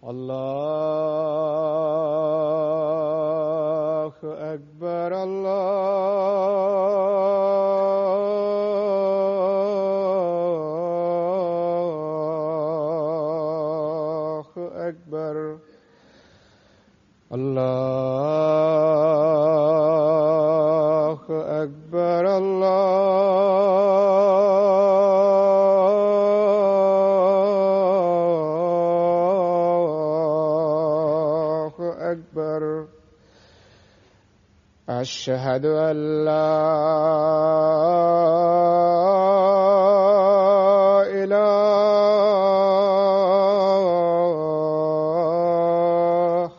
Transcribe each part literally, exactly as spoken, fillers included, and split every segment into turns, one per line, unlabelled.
الله أكبر الله أكبر الله أكبر الله أكبر أشهد أن لا إله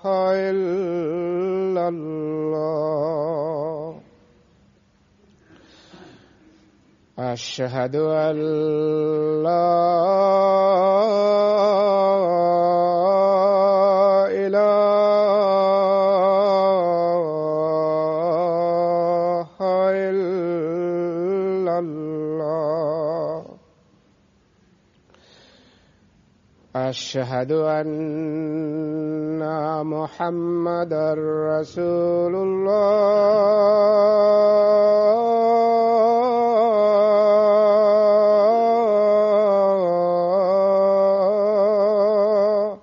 إلا الله أشهد أن لا أشهد أن محمدًا رسول الله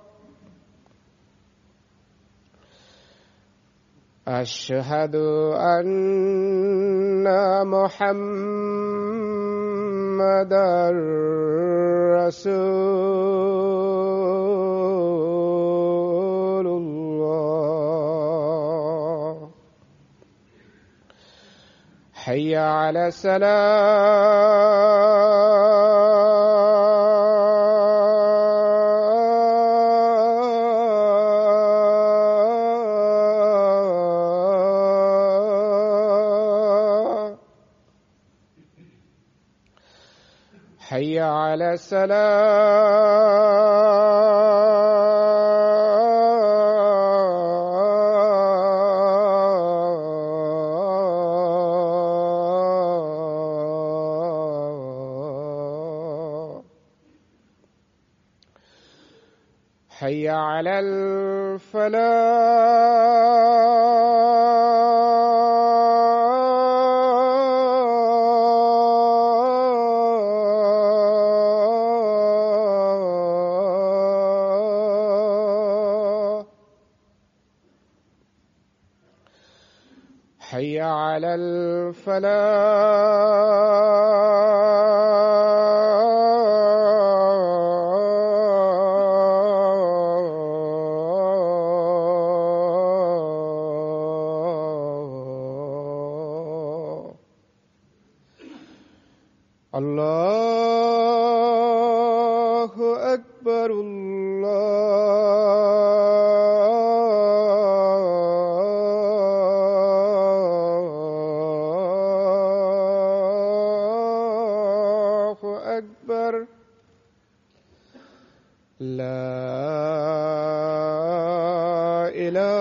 أشهد أن محمدًا رسول الله حي على الصلاة حي على الصلاة حي على الفلاح حي على الفلاح الله أكبر الله أكبر لا إله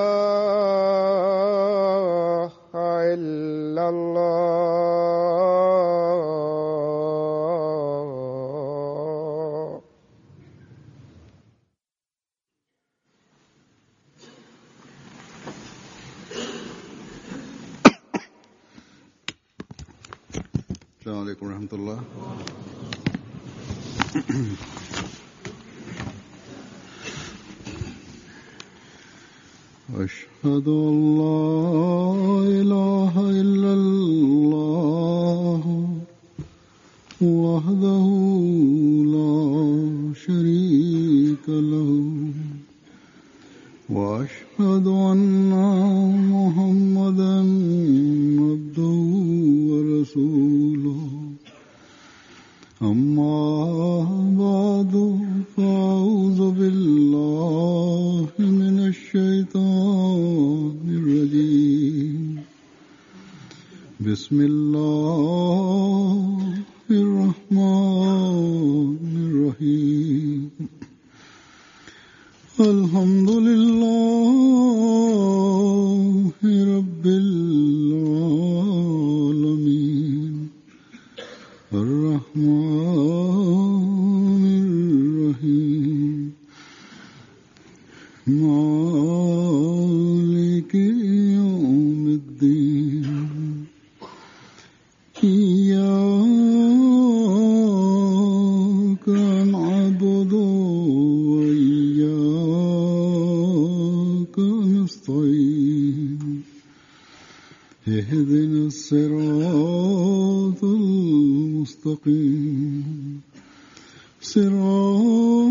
إلا الله
السلام عليكم ورحمة الله. أشهد أن لا إله إلا الله وحده لا شريك له وأشهد أن محمدًا عبده ورسوله أما بعد فأعوذ بالله من الشيطان الرجيم بسم الله الرحمن الرحيم الحمد لله رب العالمين الرحمن الرحيم إياك نعبد وإياك نستعين اهدنا الصراط المستقيم صراط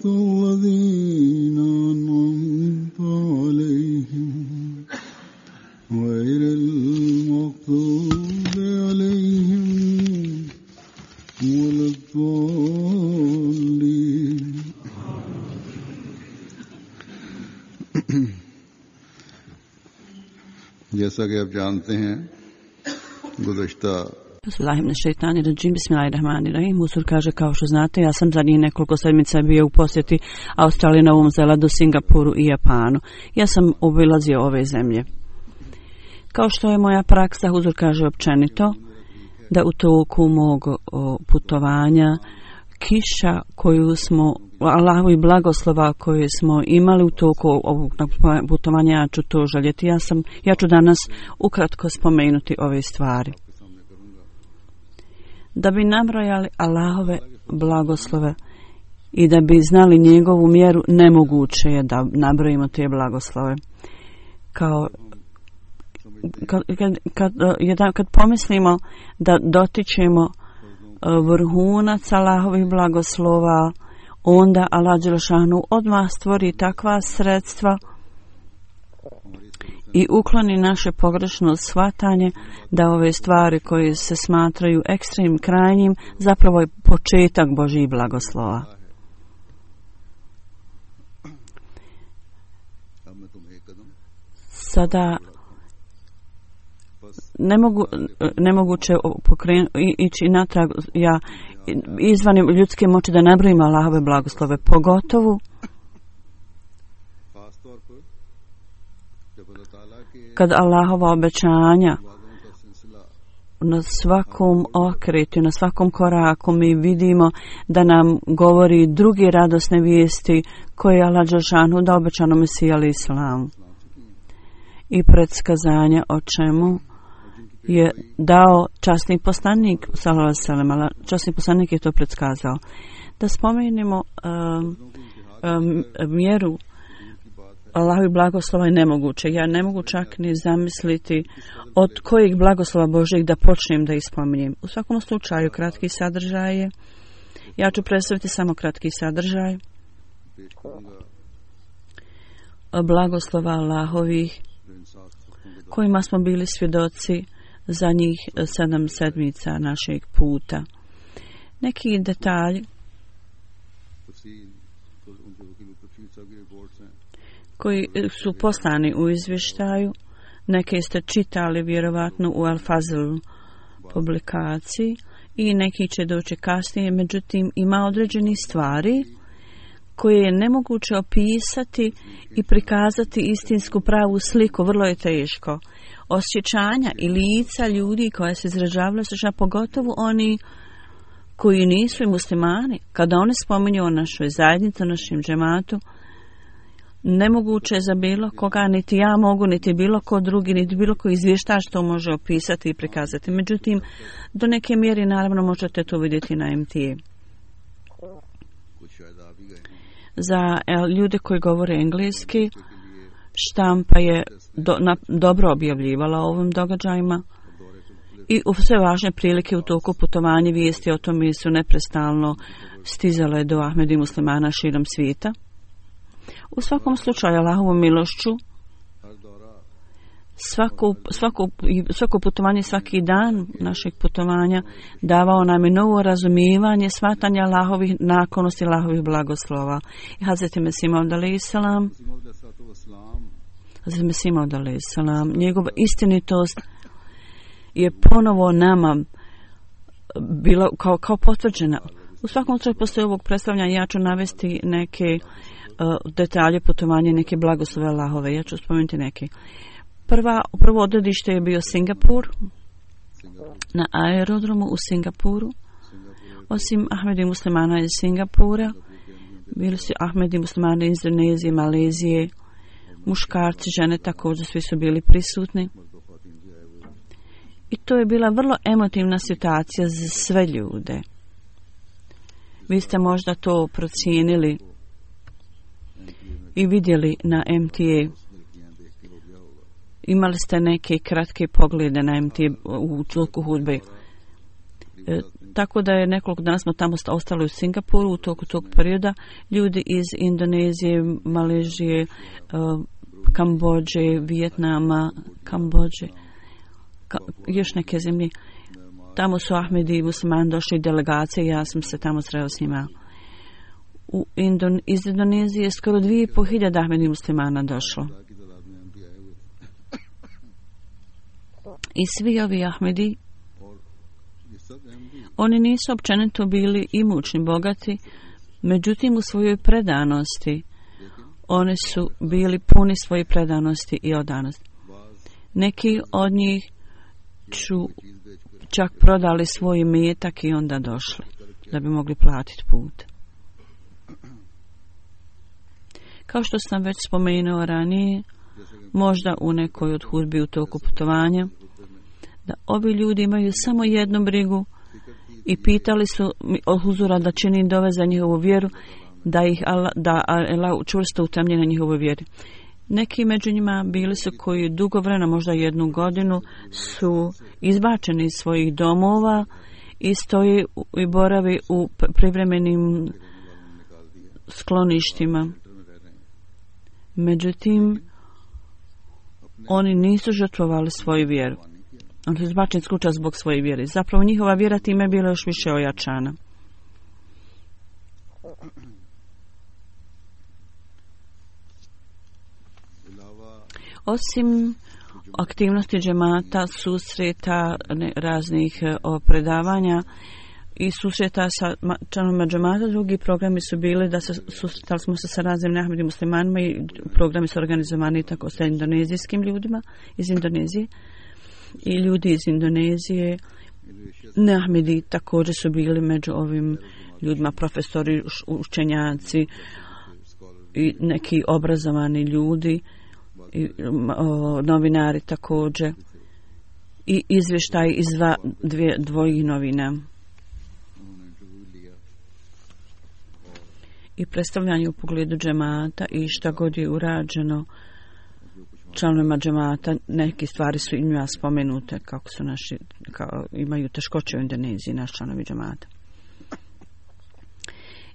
الذين أنعمت عليهم غير المغضوب عليهم ولا الضالين. जैसा कि आप जानते हैं गुज़श्ता
Bismillahirrahmanirrahim. Bismillahirrahmanirrahim. Huzur kaže, kao što znate, ja sam zadnjih nekoliko sedmica bio u posjeti Australiji, Novom Zelandu, Singapuru i Japanu. Ja sam obilazio ove zemlje. Kao što je moja praksa, Huzur kaže općenito, da u toku mog o, putovanja kiša koju smo, Allahovi blagoslova koje smo imali u toku ovog putovanja, ja ću to željeti. Ja, sam, ja ću danas ukratko spomenuti ove stvari. Da bi nabrojali Allahove blagoslove i da bi znali njegovu mjeru, nemoguće je da nabrojimo te blagoslove. Kao kad, kad, kad, jedan, kad pomislimo da dotičemo vrhunac Allahovih blagoslova, onda Allah dželešanu odmah stvori takva sredstva i ukloni naše pogrešno shvatanje da ove stvari koje se smatraju ekstremnim krajnjim zapravo je početak Božjih blagoslova. Sada ne mogu, nemoguće pokrenu, ići natrag, ja izvan ljudske moći da nabrojim Allahove blagoslove, pogotovo kad Allahova obećanja na svakom okretu, na svakom koraku mi vidimo da nam govori druge radosne vijesti koje je Allah dželešanu da obećano Mesiji alejhi selam i predskazanja o čemu je dao časni poslanik sallallahu alejhi ve sellem. Časni poslanik je to predskazao. Da spomenemo um, um, mjeru Allahovi blagoslova je nemoguće. Ja ne mogu čak ni zamisliti od kojeg blagoslova Božjeg da počnem da ispominjem. U svakom slučaju kratki sadržaj je. Ja ću predstaviti samo kratki sadržaj blagoslova Allahovih kojima smo bili svjedoci za njih sedam sedmica našeg puta. Neki detalji koji su poslani u izvještaju, neke ste čitali vjerovatno u Al-Fazl publikaciji i neki će doći kasnije, međutim ima određeni stvari koje je nemoguće opisati i prikazati istinsku pravu sliku, vrlo je teško. Osjećanja i lica ljudi koja se izražavaju, pogotovo oni koji nisu i muslimani, kada oni spominju o našoj zajednici, o našem džematu, nemoguće je za bilo koga, niti ja mogu, niti bilo ko drugi, niti bilo ko izvještač što može opisati i prikazati. Međutim, do neke mjere naravno možete to vidjeti na M T A. Za ljude koji govore engleski, štampa je do, na, dobro objavljivala o ovim događajima i u sve važne prilike u toku putovanja vijesti o tome su neprestalno stizale do Ahmedi muslimana širom svijeta. U svakom slučaju, Allahovom milošću, svako, svako, svako putovanje, svaki dan našeg putovanja davao nam je novo razumijevanje, shvatanje Allahovih naklonosti, Allahovih blagoslova. I Hazreti Mesih Maud alejhi selam, Hazreti Mesih Maud alejhi selam, njegova istinitost je ponovo nama bila kao, kao potvrđena. U svakom slučaju, poslije ovog predstavljanja ja ću navesti neke uh, detalje putovanja, neke blagoslove Allahove. Ja ću spomenuti neke. Prva, prvo odredište je bio Singapur, na aerodromu u Singapuru. Osim Ahmedi muslimana iz Singapura, bili su Ahmedi muslimani iz Indonezije, Malezije, muškarci, žene također, svi su bili prisutni. I to je bila vrlo emotivna situacija za sve ljude. Vi ste možda to procijenili i vidjeli na M T A. Imali ste neke kratke poglede na M T A u toku hudbe. E, tako da je nekoliko dana smo tamo ostali u Singapuru u toku tog perioda. Ljudi iz Indonezije, Maležije, e, Kambođe, Vijetnama, Kambođe, ka, još neke zemlje. Tamo su Ahmedi i muslimani došli delegacije, ja sam se tamo sreo s njima. U Indon, iz Indonezije skoro dvije i po hiljada Ahmedi muslimana došlo. I svi ovi Ahmedi, oni nisu općenito bili imućni, bogati, međutim u svojoj predanosti, oni su bili puni svoje predanosti i odanosti. Neki od njih su čak prodali svoj imetak i onda došli, da bi mogli platiti put. Kao što sam već spomenuo ranije, možda u nekoj od hudbi u toku putovanja, da ovi ljudi imaju samo jednu brigu i pitali su od huzura da čini dove za njihovu vjeru, da ih Allah, da Allah čvrsto utemlje na njihovoj vjeri. Neki među njima bili su koji dugo vremena, možda jednu godinu, su izbačeni iz svojih domova i stoji i boravi u privremenim skloništima. Međutim, oni nisu žrtvovali svoju vjeru. Oni su izbačeni iz kuća zbog svoje vjere. Zapravo njihova vjera time je bila još više ojačana. Osim aktivnosti džemata, susreta, ne, raznih o, predavanja i susreta sa članovima džemata, drugi programi su bili da se susretali smo se sa raznim Ahmedi muslimanima i programi su organizovani tako sa indonezijskim ljudima iz Indonezije i ljudi iz Indonezije. Ahmedi također su bili među ovim ljudima, profesori, učenjaci i neki obrazovani ljudi i o, novinari također i izvještaj iz dva, dvije, dvojih novina i predstavljanje u pogledu džemata i šta god je urađeno članovima džemata. Neke stvari su i njima spomenute kako su naši, kao, imaju teškoće u Indoneziji naši članovi džemata.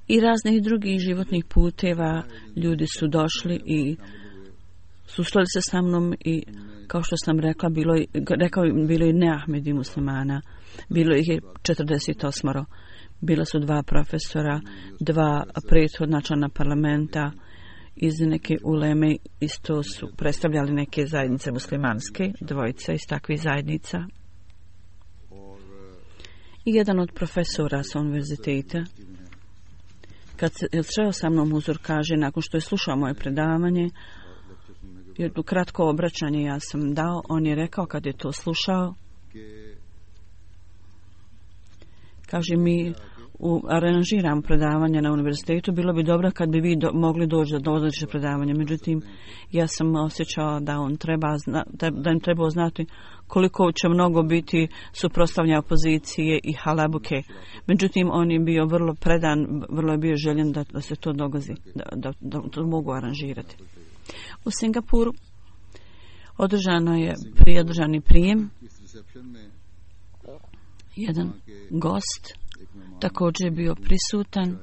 I raznih drugih životnih puteva ljudi su došli i susreli se sa mnom i kao što sam rekla, bilo je, rekao, bilo je ne Ahmedi muslimana, bilo ih je četrdeset osam. Bila su dva profesora, dva prethodna člana parlamenta iz neke uleme, isto su predstavljali neke zajednice muslimanske, dvojica iz takvih zajednica. I jedan od profesora sa univerziteta, kad se sreo sa mnom uzor, kaže, nakon što je slušao moje predavanje, jedno kratko obraćanje ja sam dao, on je rekao kad je to slušao, kaže mi u, aranžiram predavanje na univerzitetu, bilo bi dobro kad bi vi do, mogli doći do odlične predavanja, međutim ja sam osjećao da on treba zna, da im treba znati koliko će mnogo biti suprotstavljanja opozicije i halabuke. Međutim, on je bio vrlo predan, vrlo je bio željen da, da se to dogodi, da, da, da to mogu aranžirati. U Singapuru održano je prijedržani prijem. Jedan gost također je bio prisutan.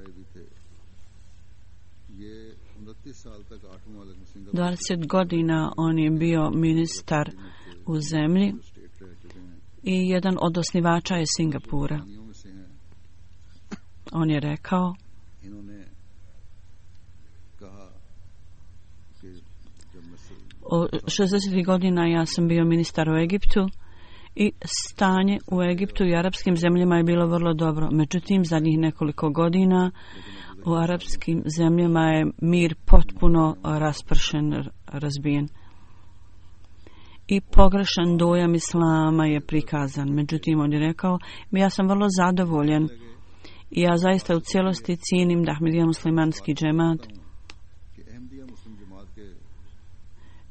dvadeset godina on je bio ministar u zemlji i jedan od osnivača je Singapura. On je rekao, o šezdesetih godina ja sam bio ministar u Egiptu i stanje u Egiptu i arapskim zemljama je bilo vrlo dobro. Međutim, zadnjih nekoliko godina u arapskim zemljama je mir potpuno raspršen, razbijen. I pogrešan dojam islama je prikazan. Međutim, on je rekao, ja sam vrlo zadovoljan i ja zaista u cijelosti cijenim da Ahmadija muslimanski džemat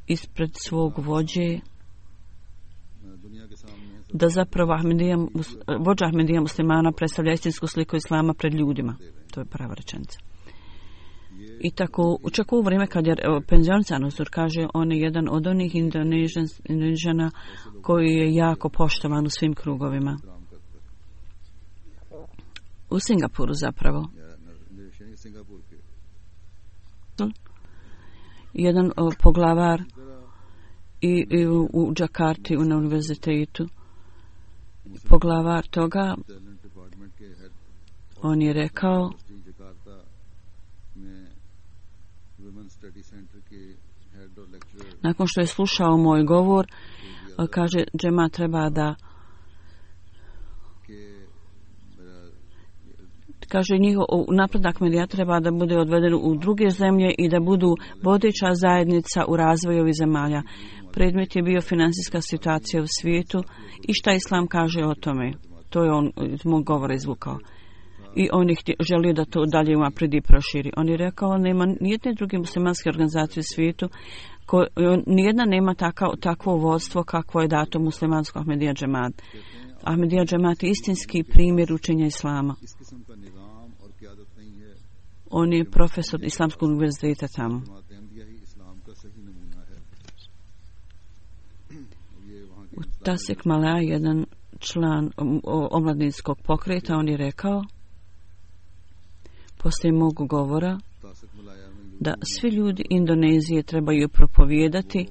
ispred svog vođe da zapravo Ahmedija, vođa Ahmedija muslimana predstavlja istinsku sliku islama pred ljudima. To je prava rečenica. I tako, čak u vrijeme kad je penzionisan Huzur, kaže, on je jedan od onih Indonežana koji je jako poštovan u svim krugovima. U Singapuru zapravo. Jedan o, poglavar i, i u, u Džakarti u, na univerzitetu. Poglavar toga, on je rekao, nakon što je slušao moj govor, kaže, džema treba da kaže, njihov napredak medija treba da bude odveden u druge zemlje i da budu vodeća zajednica u razvoju ovih zemalja. Predmet je bio financijska situacija u svijetu i šta Islam kaže o tome. To je on iz mog govora izvukao. I on je želio da to dalje unapredi i proširi. On je rekao, nema nijedne druge muslimanske organizacije u svijetu, ko, nijedna nema takav, takvo vodstvo kakvo je dato muslimansko Ahmedija džemat. Ahmedija džemat je istinski primjer učenja Islama. On je profesor Islamskog univerziteta tamo. U Tasik Malaya, jedan član omladinskog pokreta, on je rekao, poslije mog govora, da svi ljudi Indonezije trebaju propovijedati,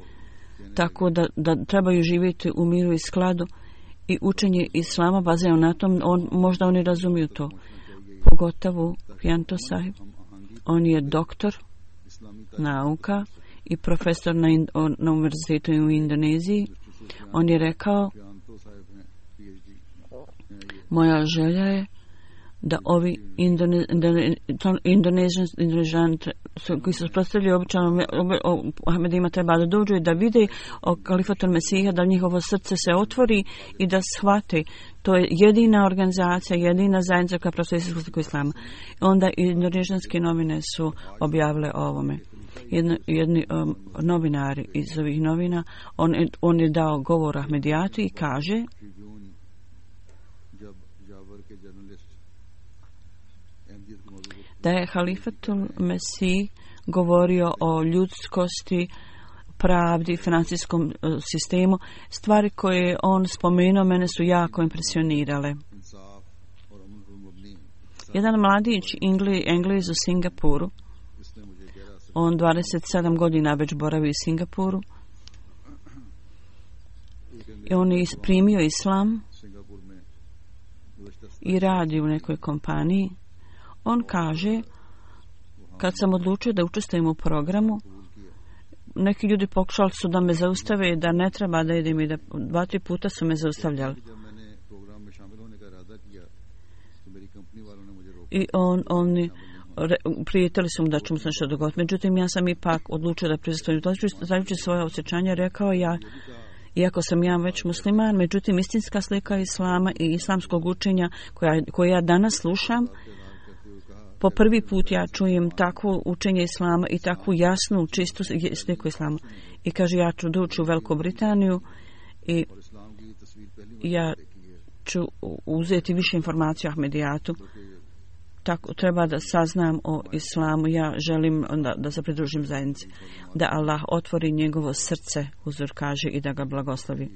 tako da, da trebaju živjeti u miru i skladu, i učenje Islama bazirano na tom, on, možda oni razumiju to. Pogotovo Pianto Sahib, on je doktor nauka i profesor na, in, na univerzitetu u Indoneziji. On je rekao, moja želja je da ovi Indonežani koji se predstavljaju običajno Ahmedima treba da dođu i da vide o kalifatul Mesija, da njihovo srce se otvori i da shvate. To je jedina organizacija, jedina zajednica koja predstavlja islamskog islama. Onda indonežanske novine su objavile o ovome. Jedni, jedni um, novinari iz ovih novina, on, on je dao govor Ahmedijatu i kaže, da je halifatul Mesih govorio o ljudskosti, pravdi, financijskom uh, sistemu. Stvari koje je on spomenuo mene su jako impresionirale. Jedan mladić Engli, Englez u Singapuru, on dvadeset sedam godina već boravi u Singapuru, i on je primio islam i radi u nekoj kompaniji. On kaže, kad sam odlučio da učestvujem u programu, neki ljudi pokušali su da me zaustave, da ne treba da idem, i da dva, tri puta su me zaustavljali. I on, oni prijetili su mu da ću mu se nešto dogoditi. Međutim, ja sam ipak odlučio da prisustujem. Zajući svoje osjećanje, rekao ja, iako sam ja već musliman, međutim, istinska slika Islama i islamskog učenja koja, koje ja danas slušam, po prvi put ja čujem takvo učenje Islama i takvu jasnu, čistu sliku Islama. I kaže, ja ću doći u Veliku Britaniju i ja ću uzeti više informacija o Ahmedijatu. Tako treba da saznam o Islamu. Ja želim da, da se pridružim zajednici. Da Allah otvori njegovo srce, Huzur kaže, i da ga blagoslovi.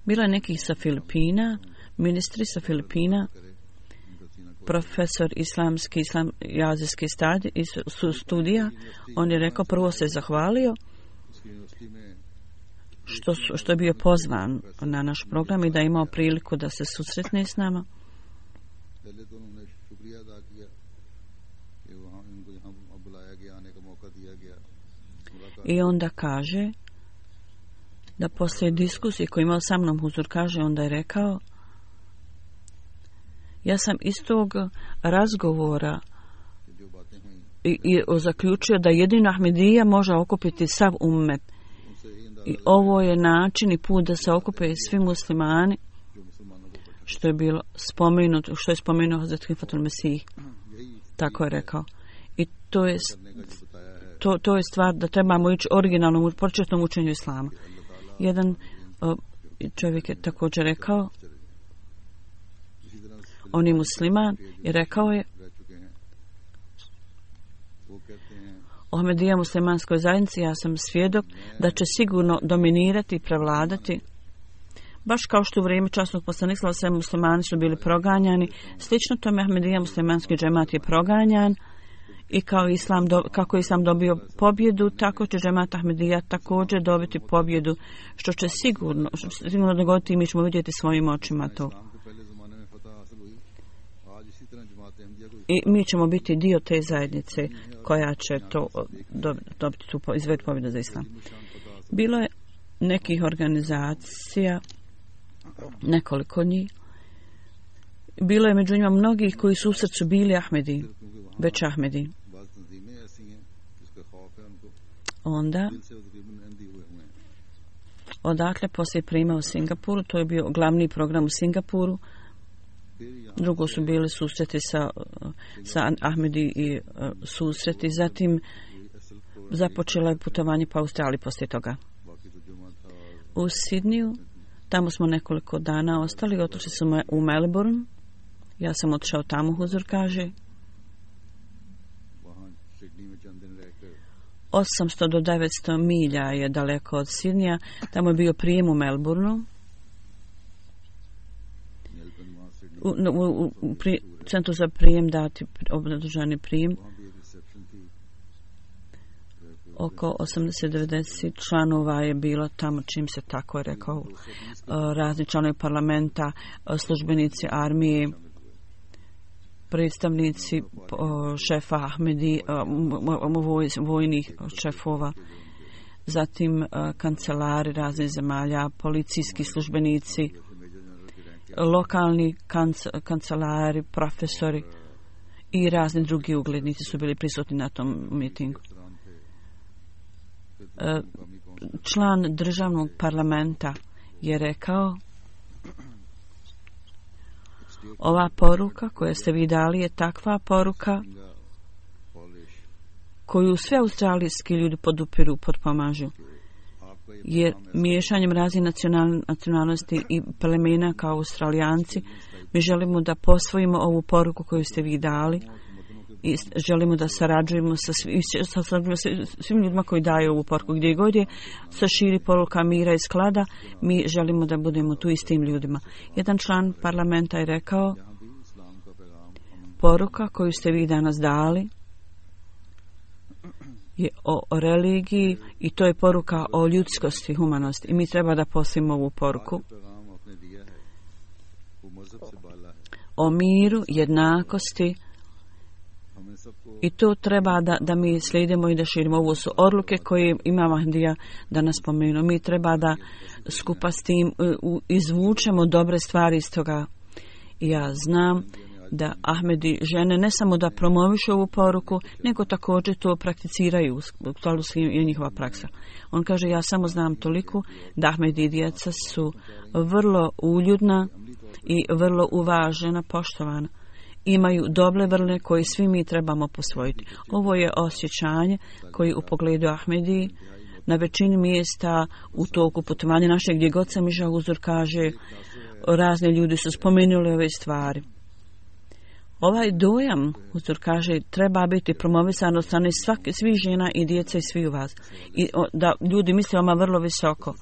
Bilo je nekih sa Filipina, ministri sa Filipina, profesor islamski, islam, azijski stadi, su studija. On je rekao, prvo se zahvalio što, su, što je bio pozvan na naš program i da je imao priliku da se susretne s nama. I onda kaže da poslije diskusije koju imao sa mnom, Huzur kaže, onda je rekao, ja sam iz tog razgovora i, i zaključio da jedino Ahmedija može okupiti sav ummet. I ovo je način i put da se okupe svi muslimani, što je bilo spomenuto, što je spomenuo Hazret Halifatul Mesih. Tako je rekao. I to je, to, to je stvar da trebamo ići originalnom, početnom učenju Islama. Jedan uh, čovjek je također rekao, on je musliman i rekao je o Ahmedija muslimanskoj zajednici, ja sam svjedok da će sigurno dominirati i prevladati. Baš kao što u vrijeme časnog poslanika sve muslimani su bili proganjani, slično tome Ahmedija muslimanski džemat je proganjan i kao islam do, kako je islam dobio pobjedu, tako će džemat Ahmedija također dobiti pobjedu, što će sigurno, što će sigurno dogoditi i mi ćemo vidjeti svojim očima to. I mi ćemo biti dio te zajednice koja će to dobiti tu izved pobjedu za islam. Bilo je nekih organizacija, nekoliko njih. Bilo je među njima mnogih koji su u srcu bili Ahmedi, već Ahmedi. Onda, odakle poslije prijema u Singapuru, to je bio glavni program u Singapuru. Drugo su bili susreti sa, sa Ahmedi i uh, susreti. Zatim započelo je putovanje po Australiji poslije toga. U Sidniju, tamo smo nekoliko dana ostali, otišli smo u Melbourne. Ja sam otišao tamo, huzur kaže. osamsto do devetsto milja je daleko od Sidnija. Tamo je bio prijem u Melbourneu. U, u, u pri, centru za prijem dati obdržani prijem. Oko osamdeset do devedeset članova je bilo tamo, čim se tako je rekao, razni članovi parlamenta, službenici armije, predstavnici šefa Ahmedi, vojnih šefova, zatim kancelari raznih zemalja, policijski službenici, lokalni kanc- kancelari, profesori i razni drugi uglednici su bili prisutni na tom mitingu. Član državnog parlamenta je rekao, ova poruka koju ste vi dali je takva poruka koju sve australijski ljudi podupiru, potpomažu. Jer miješanjem raznih nacional, nacionalnosti i plemena kao Australijanci, mi želimo da posvojimo ovu poruku koju ste vi dali i želimo da sarađujemo sa, svi, sa, sa svim ljudima koji daju ovu poruku. Gdje god je se širi poruka mira i sklada, mi želimo da budemo tu i s tim ljudima. Jedan član parlamenta je rekao, poruka koju ste vi danas dali je o religiji i to je poruka o ljudskosti, humanosti. I mi treba da poslimo ovu poruku o miru, jednakosti i to treba da, da mi slijedimo i da širimo. Ovo su odluke koje ima Mahdija da nas spomenu. Mi treba da skupa s tim uh, izvučemo dobre stvari iz toga. I ja znam da Ahmedi žene ne samo da promovišu ovu poruku, nego također to prakticiraju u skladu s i njihova praksa. On kaže, ja samo znam toliko da Ahmedi djeca su vrlo uljudna i vrlo uvažena, poštovana. Imaju dobre vrline koje svi mi trebamo posvojiti. Ovo je osjećanje koji u pogledu Ahmedi na većini mjesta u toku putovanja naše gdje god sam išao, uzor kaže, razni ljudi su spomenuli ove stvari. Ovaj dojam, uzor kaže, treba biti promovisan od strane svake, svih žena i djece i svi u vas. I o, da ljudi misle oma vrlo visoko.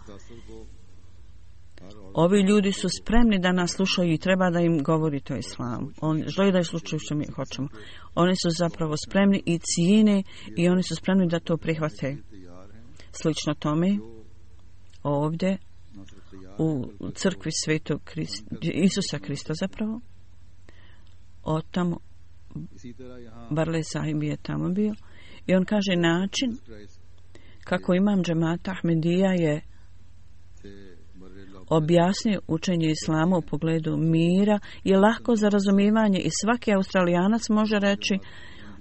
Ovi ljudi su spremni da nas slušaju i treba da im govorite o islamu. Oni žele da slušaju što mi hoćemo. Oni su zapravo spremni i cijene i oni su spremni da to prihvate. Slično tome, ovdje u crkvi Svetog Krist, Isusa Krista zapravo, od tamo Barle Sahib je tamo bio i on kaže način kako imam džemata Ahmedija je objasnio učenje islama u pogledu mira je lako za razumijevanje i svaki Australijanac može reći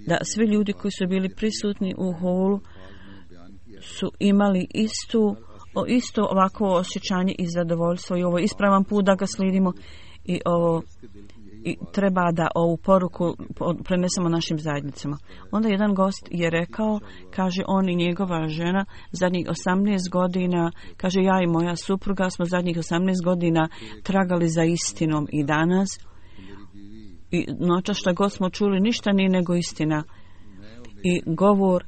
da svi ljudi koji su bili prisutni u holu su imali istu, o, isto ovako osjećanje i zadovoljstvo i ovo ispravan put da ga slijedimo i ovo i treba da ovu poruku prenesemo našim zajednicama. Onda jedan gost je rekao, kaže on i njegova žena zadnjih osamnaest godina, kaže ja i moja supruga smo zadnjih osamnaest godina tragali za istinom i danas i noćas što god smo čuli ništa nije nego istina. I govor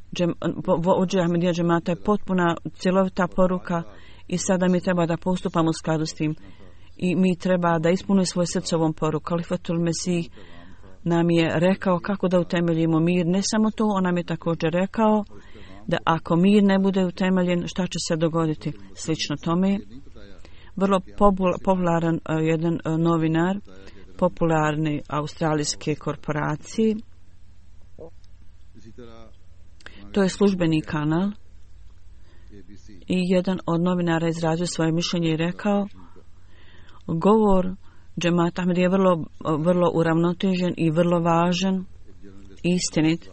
vođe Ahmedija džemata je potpuna cjelovita poruka i sada mi treba da postupamo u skladu s tim. I mi treba da ispunimo svoje srce ovom poruku. Kalifatul Mesih nam je rekao kako da utemeljimo mir. Ne samo to, on nam je također rekao da ako mir ne bude utemeljen, šta će se dogoditi? Slično tome, vrlo popularan uh, jedan uh, novinar popularne australijske korporacije, to je službeni kanal, i jedan od novinara izrazio svoje mišljenje i rekao govor džemata Ahmedija je vrlo, vrlo uravnotežen i vrlo važan, istinit.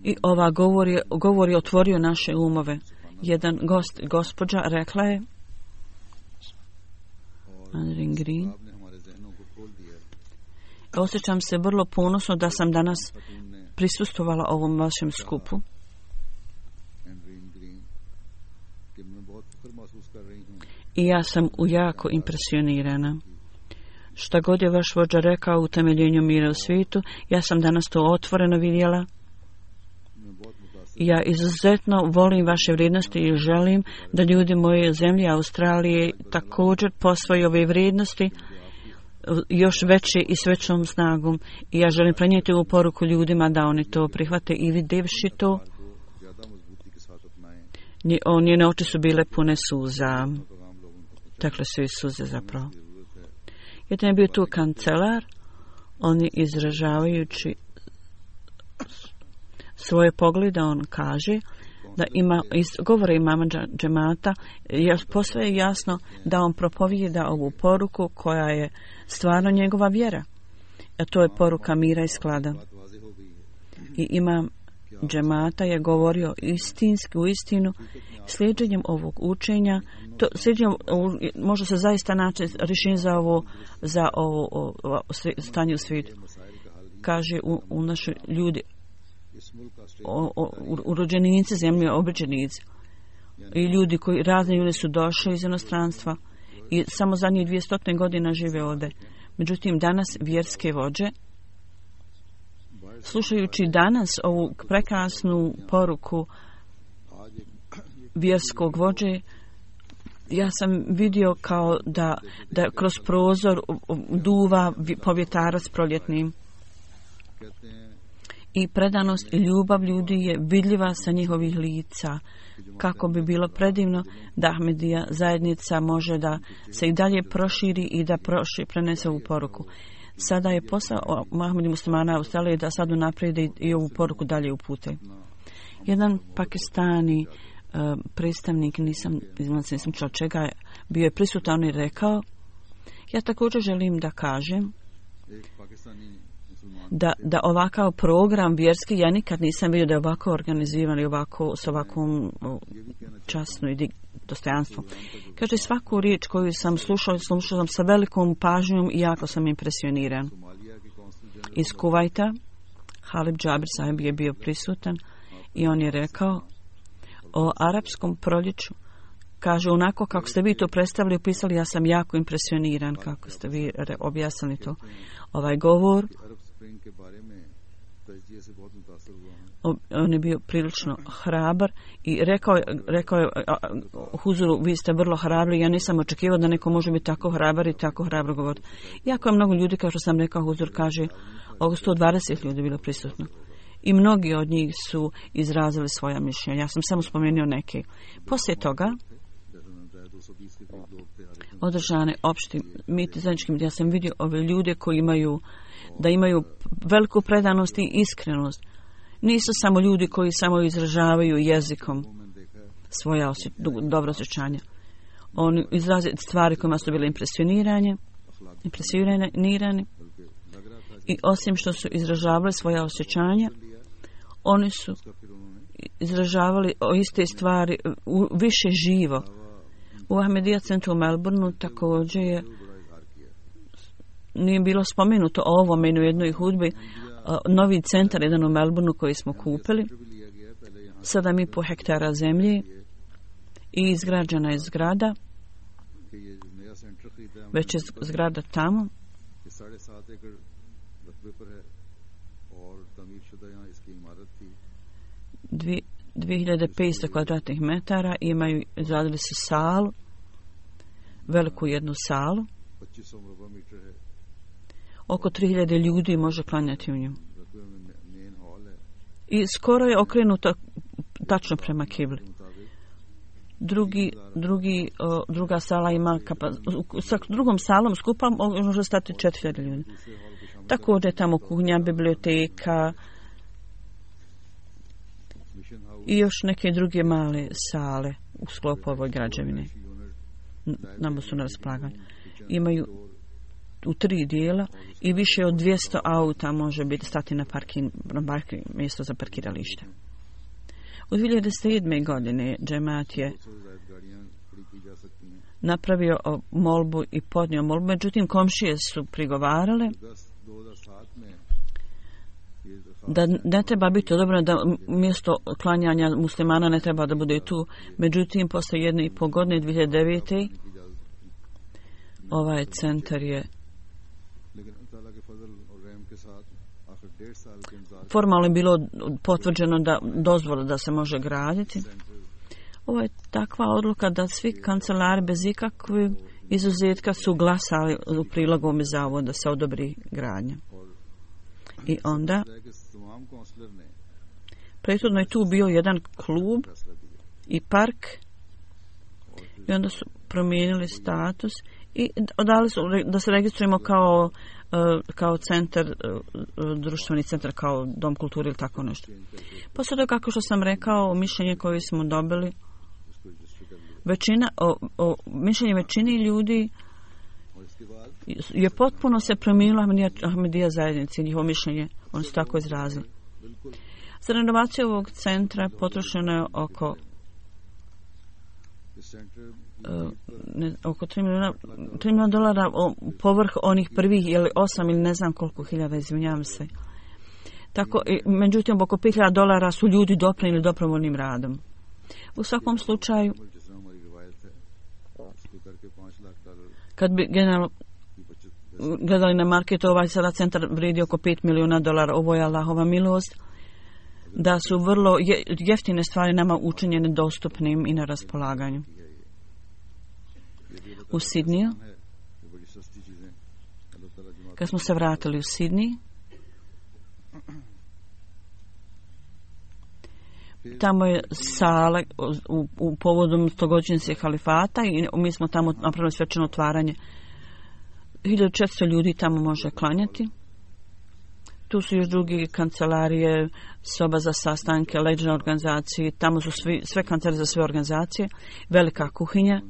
I ova govor je, govor je otvorio naše umove. Jedan gost, gospođa rekla je Green, osjećam se vrlo ponosno da sam danas prisustvovala ovom vašem skupu. I ja sam jako impresionirana. Šta god je vaš vođa rekao u temeljenju mira u svijetu, ja sam danas to otvoreno vidjela. Ja izuzetno volim vaše vrijednosti i želim da ljudi moje zemlje Australije također posvoje ove vrijednosti još veće i s većom snagom. I ja želim prenijeti ovu poruku ljudima da oni to prihvate i vidjevši to, njene oči su bile pune suza. Tekle su iz suze zapravo. Jedan je bio tu kancelar, oni izražavajući svoje poglede, on kaže da ima, iz govora imama džemata, posve je jasno da on propovijeda ovu poruku koja je stvarno njegova vjera. A to je poruka mira i sklada. I imam džemata je govorio istinski, u istinu, slijedženjem ovog učenja, to, slijedženjem, može se zaista naći rješenje za ovo, za ovo, ovo stanje u svijetu. Kaže u, u našoj ljudi, o, o, urođenici zemlje, obećanici. I ljudi koji, razni ljudi su došli iz inostranstva i samo zadnjih dvjesto godina žive ovdje. Međutim, danas vjerske vođe, slušajući danas ovu prekrasnu poruku vjerskog vođe, ja sam vidio kao da, da kroz prozor duva povjetarac proljetnim. I predanost i ljubav ljudi je vidljiva sa njihovih lica. Kako bi bilo predivno da Ahmedija zajednica može da se i dalje proširi i da proši, prenese ovu poruku. Sada je posao Ahmedi muslimana Australije da sad unaprijede i, i ovu poruku dalje upute. Jedan Pakistani uh, predstavnik, nisam, nisam čula čega, bio je prisutan i rekao, ja također želim da kažem da, da ovakav program vjerski, ja nikad nisam vidio da je ovako organizivan i ovako, s ovakvom časnom i dostojanstvom. Kaže, svaku riječ koju sam slušao, slušao sam sa velikom pažnjom i jako sam impresioniran. Iz Kuvajta, Halib Džabir sahib je bio prisutan i on je rekao o arapskom proljeću. Kaže, onako kako ste vi to predstavili, opisali, ja sam jako impresioniran kako ste vi objasnili to. Ovaj govor, on je bio prilično hrabar i rekao, rekao je Huzuru, vi ste vrlo hrabri, ja nisam očekivao da neko može biti tako hrabar i tako hrabro govoriti. Jako je mnogo ljudi, kao što sam rekao, Huzur kaže, oko sto dvadeset ljudi bilo prisutno. I mnogi od njih su izrazili svoja mišljenja. Ja sam samo spomenuo neke. Poslije toga održane opšti miti zajedničkim, ja sam vidio ove ljude koji imaju, da imaju veliku predanost i iskrenost. Nisu samo ljudi koji samo izražavaju jezikom svoja osje, dobro osjećanja. Oni izraze stvari kojima su bile impresionirane, impresionirani i osim što su izražavali svoja osjećanja, oni su izražavali o iste stvari u, više živo. U Ahmedija centru u Melbourneu također je nije bilo spomenuto o ovome u jednoj hudbi. Novi centar, jedan u Melbourneu koji smo kupili, sedam i po hektara zemlje i izgrađena je zgrada, već je zgrada tamo. dvije hiljade petsto kvadratnih metara, imaju, izradili su salu, veliku jednu salu. Oko tri hiljade ljudi može klanjati u nju. I skoro je okrenuta tačno prema kibli. Drugi, drugi, o, druga sala ima kapa, sa drugom salom skupa može stati četiri hiljade ljudi. Također tamo kuhinja, biblioteka i još neke druge male sale u sklopu ove građevine. Nama su na raspolaganju. Imaju u tri dijela i više od dvjesto auta može biti stati na parking, na parking mjesto za parkiralište. U dvije hiljade sedme. godine džemat je napravio molbu i podnio molbu, međutim komšije su prigovarale da ne treba biti odobreno, da mjesto klanjanja muslimana ne treba da bude tu. Međutim, posle jedne i pol godine, dvije hiljade devete. ovaj centar je formalno je bilo potvrđeno da dozvola da se može graditi. Ovo je takva odluka da svi kancelari bez ikakvog izuzetka su glasali u prilog ovome zavodu da se odobri gradnja. I onda prethodno je tu bio jedan klub i park i onda su promijenili status i dali su da se registrujemo kao kao centar, društveni centar, kao dom kulture ili tako nešto. Poslije toga, kako što sam rekao, mišljenje koje smo dobili, većina, o, o, mišljenje većini ljudi je potpuno se promijenila Ahmedija, Ahmedija zajednici, njihovo mišljenje, oni su tako izrazili. Za renovaciju ovog centra potrošeno je oko Uh, ne, oko tri milijuna dolara o, povrh onih prvih ili osam ili ne znam koliko hiljada, izvinjavam se. Tako, i, međutim, oko pet hiljada dolara su ljudi doprinijeli dobrovoljnim radom. U svakom slučaju, kad bi generalno gledali na marketu, ovaj sada centar vredi oko pet milijuna dolara, ovo je Allahova milost, da su vrlo je, jeftine stvari nama učinjene dostupnim i na raspolaganju. U Sidniju, kad smo se vratili u Sidney, tamo je sala u, u povodom stogodišnjice halifata i mi smo tamo napravili svečano otvaranje. hiljadu četiristo ljudi tamo može klanjati. Tu su još drugi kancelarije, soba za sastanke, leđne organizacije, tamo su svi, sve kancelarije za sve organizacije, velika kuhinja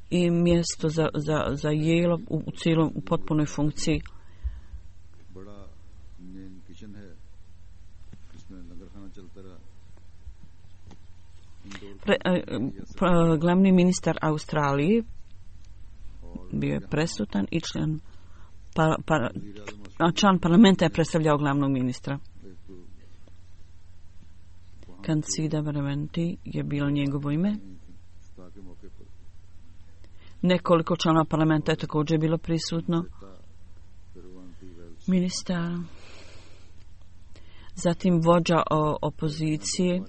i mjesto za, za, za jelo u, u cijelom, u potpunoj funkciji. Pre, pre, glavni ministar Australije bio je presutan i član, pa, pa, član parlamenta je predstavljao glavnog ministra. Kancida Vermenti je bilo njegovo ime. Nekoliko članova parlamenta je također bilo prisutno. Ministar, zatim vođa o, opozicije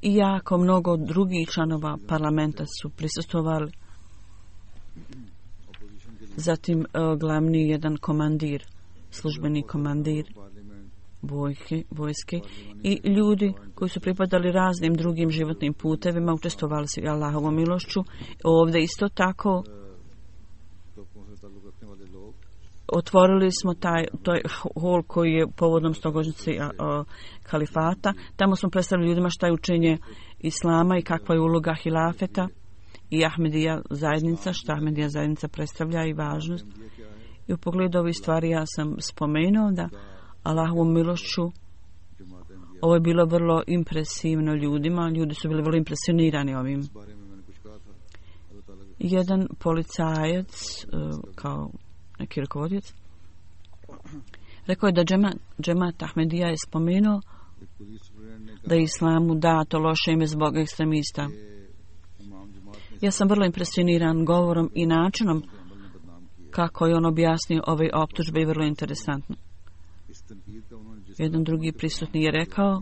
i jako mnogo drugih članova parlamenta su prisustvovali. Zatim glavni jedan komandir, službeni komandir vojke, vojske i ljudi koji su pripadali raznim drugim životnim putevima, učestvovali su i Allahovom milošću. Ovdje isto tako otvorili smo taj, taj hol koji je povodom stogodišnjice kalifata. Tamo smo predstavili ljudima šta je učenje islama i kakva je uloga hilafeta i Ahmedija zajednica, šta Ahmedija zajednica predstavlja i važnost. I u pogledu ovih stvari ja sam spomenuo da Allahovom milošću ovo je bilo vrlo impresivno ljudima, ljudi su bili vrlo impresionirani ovim. Jedan policajac kao neki rukovodioc, rekao je da džemat, džemat Ahmedija je spomenuo da je islamu dato loše ime zbog ekstremista. Ja sam vrlo impresioniran govorom i načinom kako je on objasnio ove optužbe i vrlo interesantno. Jedan drugi prisutni je rekao,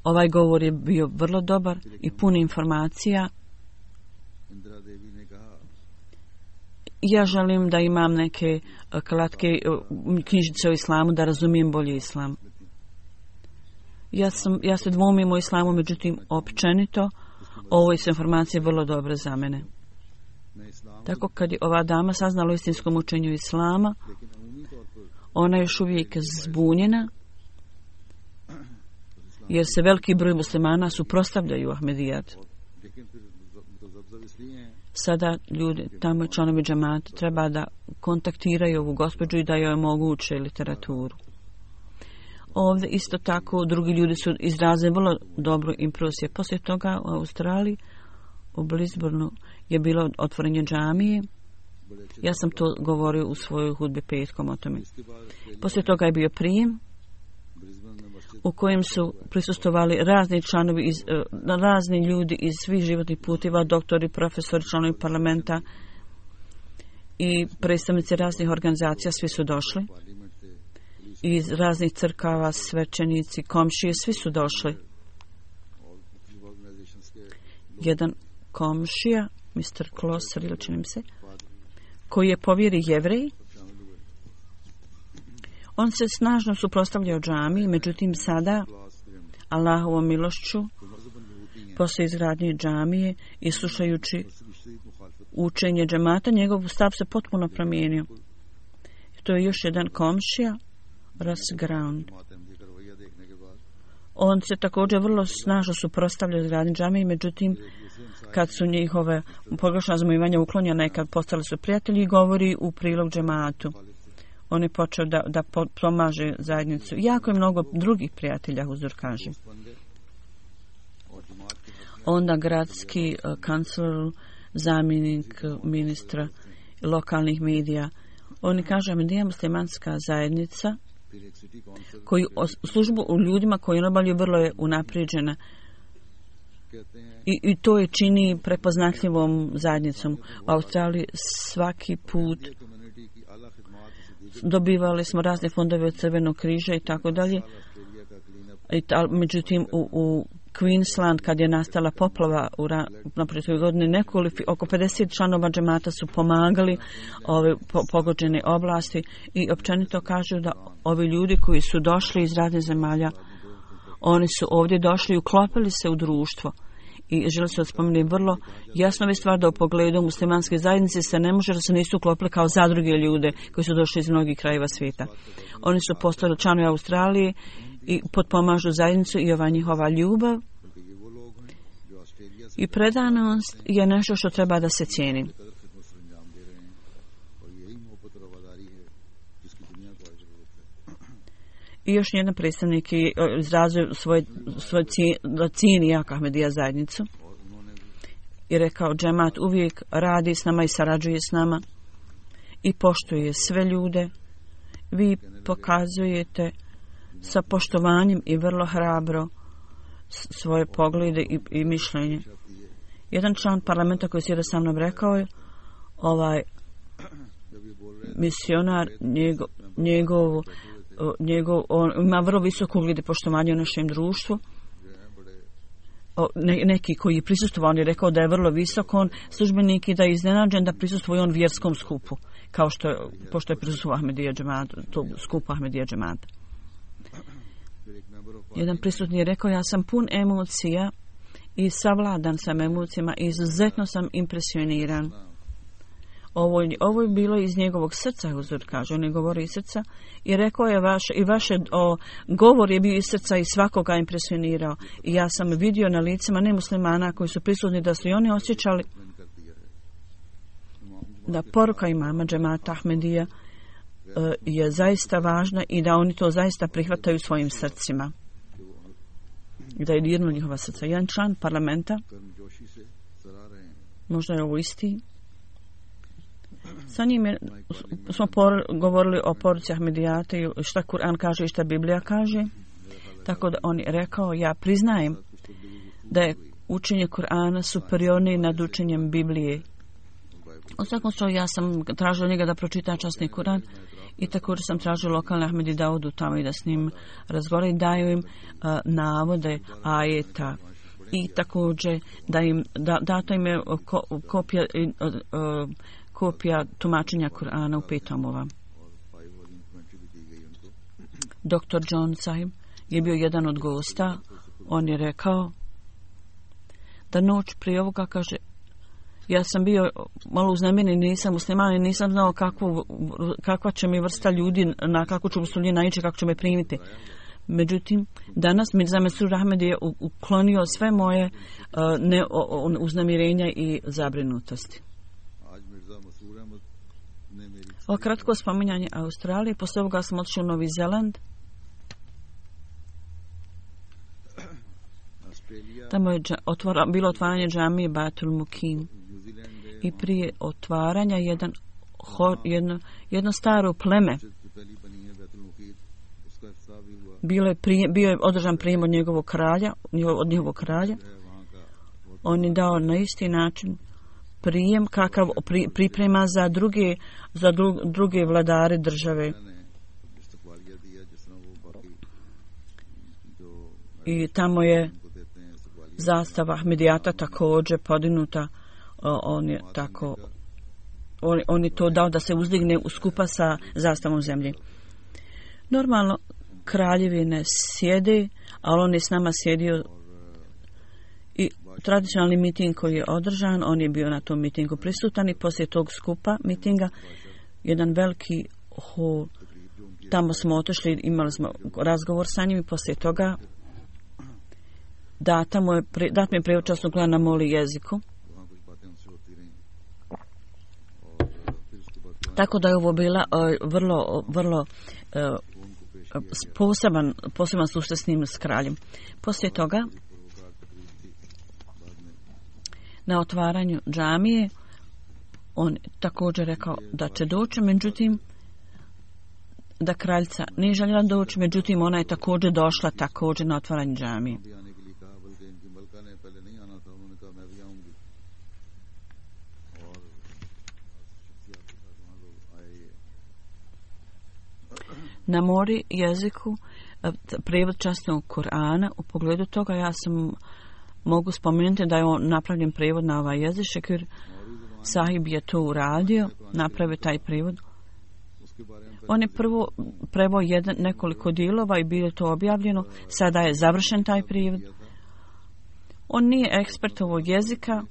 ovaj govor je bio vrlo dobar i pun informacija. Ja želim da imam neke kratke knjižice o islamu da razumijem bolje islam. Ja, sam, ja se dvomim o islamu, međutim općenito ovo su informacije vrlo dobre za mene. Tako kad je ova dama saznala o istinskom učenju islama, ona je još uvijek zbunjena, jer se veliki broj muslimana suprotstavljaju Ahmedijat. Sada ljudi, tamo članovi džamata, treba da kontaktiraju ovu gospođu i da joj omoguće literaturu. Ovdje isto tako drugi ljudi su izrazili vrlo dobru impresiju. Poslije toga u Australiji, u Brisbaneu, je bilo otvorenje džamije. Ja sam to govorio u svojoj hudbi petkom o tome. Poslije toga je bio prijem u kojem su prisustovali razni članovi, iz, razni ljudi iz svih životnih puteva, doktori, profesori, članovi parlamenta i predstavnici raznih organizacija, svi su došli. Iz raznih crkava, svećenici, komšije, svi su došli. Jedan komšija, mister Klosar, ili činim se, koji je po vjeri Jevrej, on se snažno suprotstavljao džamiji, međutim sada, Allahovom milošću, poslije izgradnje džamije i slušajući učenje džamata, njegov stav se potpuno promijenio. To je još jedan komšija, Russ Ground. On se također vrlo snažno suprotstavljao izgradnji džamije, međutim, kad su njihove pogrešna razumijevanja uklonjena i kad postali su prijatelji, govori u prilog džematu. On je počeo da, da pomaže zajednicu. Jako je mnogo drugih prijatelja, Huzur kaže. Onda gradski uh, kancler, zamjenik uh, ministra lokalnih medija. Oni kažu, Ahmedija muslimanska zajednica koji službu u ljudima koji obavljaju vrlo je unaprijeđena. I, I to je čini prepoznatljivom zajednicom. U Australiji svaki put dobivali smo razne fondove od Crvenog križa i tako dalje. Međutim, u, u Queensland, kad je nastala poplava u naprije godine, nekoliko, oko pedeset članova džemata su pomagali ove po, pogođene oblasti i općenito kažu da ovi ljudi koji su došli iz raznih zemalja, oni su ovdje došli i uklopili se u društvo. I žele se spomenuti vrlo jasno je stvar da u pogledu muslimanske zajednice se ne može da se nisu uklopili kao zadruge ljude koji su došli iz mnogih krajeva svijeta. Oni su postali članovi Australije i potpomažu zajednicu i ova njihova ljubav i predanost je nešto što treba da se cijeni. I još jedan predstavnik je izrazio svoje, svoje cijeni jak Ahmedija zajednicu i rekao, džemat uvijek radi s nama i sarađuje s nama i poštuje sve ljude. Vi pokazujete sa poštovanjem i vrlo hrabro svoje poglede i, i mišljenje. Jedan član parlamenta koji sjeda sa mnom rekao je, ovaj misionar njegov, njegov Njegov, on ima vrlo visoko ugled i poštovanje u našem društvu. O, ne, neki koji je prisustvovao, on je rekao da je vrlo visok on službenik i da je iznenađen da prisustvuje on vjerskom skupu, kao što je, pošto je prisustvovao Ahmedija džemata, to skupu Ahmedija džemata. Jedan prisutni je rekao, ja sam pun emocija i savladan sam emocijama i izuzetno sam impresioniran. Ovo, ovo je bilo iz njegovog srca, Huzur kaže, on je govorio iz srca i rekao je vaš, i vaše o, govor je bio iz srca i svakoga impresionirao. I ja sam vidio na licima nemuslimana koji su prisutni da su i oni osjećali da poruka imama džemata Ahmedija e, je zaista važna i da oni to zaista prihvataju svojim srcima. I da je dirno njihova srca. Jedan član parlamenta, možda je ovo isti, Sa njim je, smo por, govorili o poruci Ahmedijata i šta Kur'an kaže i šta Biblija kaže. Tako da on je rekao, ja priznajem da je učenje Kur'ana superiornije nad učenjem Biblije. U svakom slučaju ja sam tražila njega da pročita časni Kur'an i također sam tražila lokalne Ahmedi da odu tamo i da s njim razgovaraju i daju im uh, navode ajeta i također da im da, dato im je ko, kopija uh, uh, kopija tumačenja Kur'ana u pet tomova. doktor John Sahib je bio jedan od gosta. On je rekao da noć prije ovoga, kaže, ja sam bio malo uznemiren, nisam musliman i nisam znao kakvu, kakva će mi vrsta ljudi, na kakvu ću vrstu ljudi naići, kako će me primiti. Međutim, danas Mirza Mesrur Ahmed je uklonio sve moje uh, ne, o, o, uznemirenja i zabrinutosti. Ovo kratko spominjanje Australije. Posle ovoga sam otišao u Novi Zeland. Tamo je otvora, bilo otvaranje džamije Batul Mukim. I prije otvaranja jedan, ho, jedno, jedno staro pleme bilo je prije, bio je održan prijem od njegovog kralja, od njegovog kralja. On je dao na isti način prijem kakav pri, priprema za druge, za dru, druge vladare države. I tamo je zastava Ahmedijata također podignuta. On je tako on, on je to dao da se uzdigne u skupa sa zastavom zemlje. Normalno kraljevi ne sjede, ali on je s nama sjedio i tradicionalni miting koji je održan, on je bio na tom mitingu prisutan i poslije tog skupa mitinga jedan veliki hol. Tamo smo otišli, imali smo razgovor sa njim i poslije toga data mu je, dat mi je prijevod časnog Kur'ana na moli jeziku. Tako da je ovo bila uh, vrlo, vrlo uh, poseban, poseban susret s njim, s kraljem. Poslije toga, na otvaranju džamije, on također rekao da će doći, međutim, da kraljica nije željela doći, međutim, ona je također došla također na otvaranje džamije. Na mori jeziku prijevod časnog Kur'ana, u pogledu toga ja sam mogu spomenuti da je on napravljen prijevod na ovaj jezik. Šekir Sahib je to uradio, napravio taj prijevod. On je prvo preveo jedan nekoliko dijelova i bilo je to objavljeno. Sada je završen taj prijevod. On nije ekspert ovog jezika,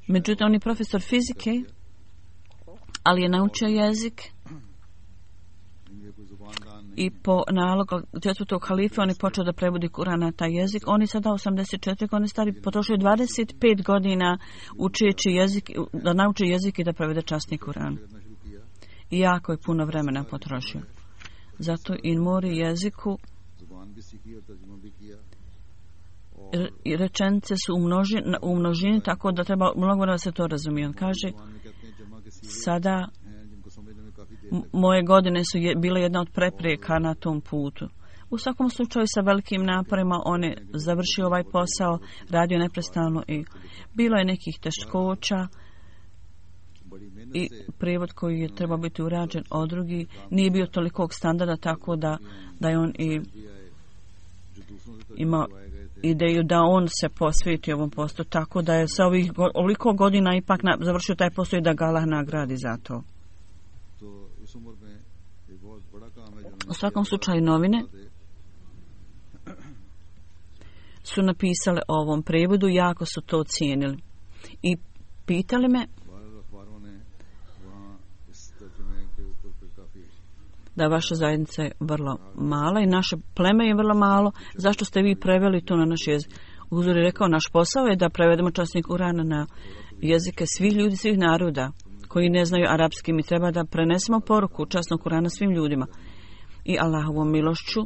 međutim on je profesor fizike, ali je naučio jezik. I po nalogu četvrtog halife on je počeo da prevodi Kur'an na taj jezik. On je sada osamdeset četiri godine stari, potrošio dvadeset pet godina učeći jezik, da nauči jezik i da prevede časni Kur'an. I jako je puno vremena potrošio. Zato i mori jeziku i rečenice su u množini, u množini, tako da treba mnogo da se to razumije. On kaže, sada moje godine su je, bile jedna od prepreka na tom putu. U svakom slučaju sa velikim naporima on je završio ovaj posao, radio neprestano i bilo je nekih teškoća i prijevod koji je trebao biti urađen od drugi nije bio tolikog standarda, tako da, da je on i imao ideju da on se posveti ovom poslu, tako da je sa ovih ovoliko godina ipak na, završio taj posao i da ga Allah nagradi za to. U svakom slučaju novine su napisale o ovom prevodu, jako su to cijenili i pitali me da vaša zajednica je vrlo mala i naše pleme je vrlo malo, zašto ste vi preveli to na naš jezik? Uzor je rekao, naš posao je da prevedemo časni Kur'an na jezike svih ljudi, svih naroda koji ne znaju arapski. Mi treba da prenesemo poruku časnog Kur'ana svim ljudima. I Allahovom milošću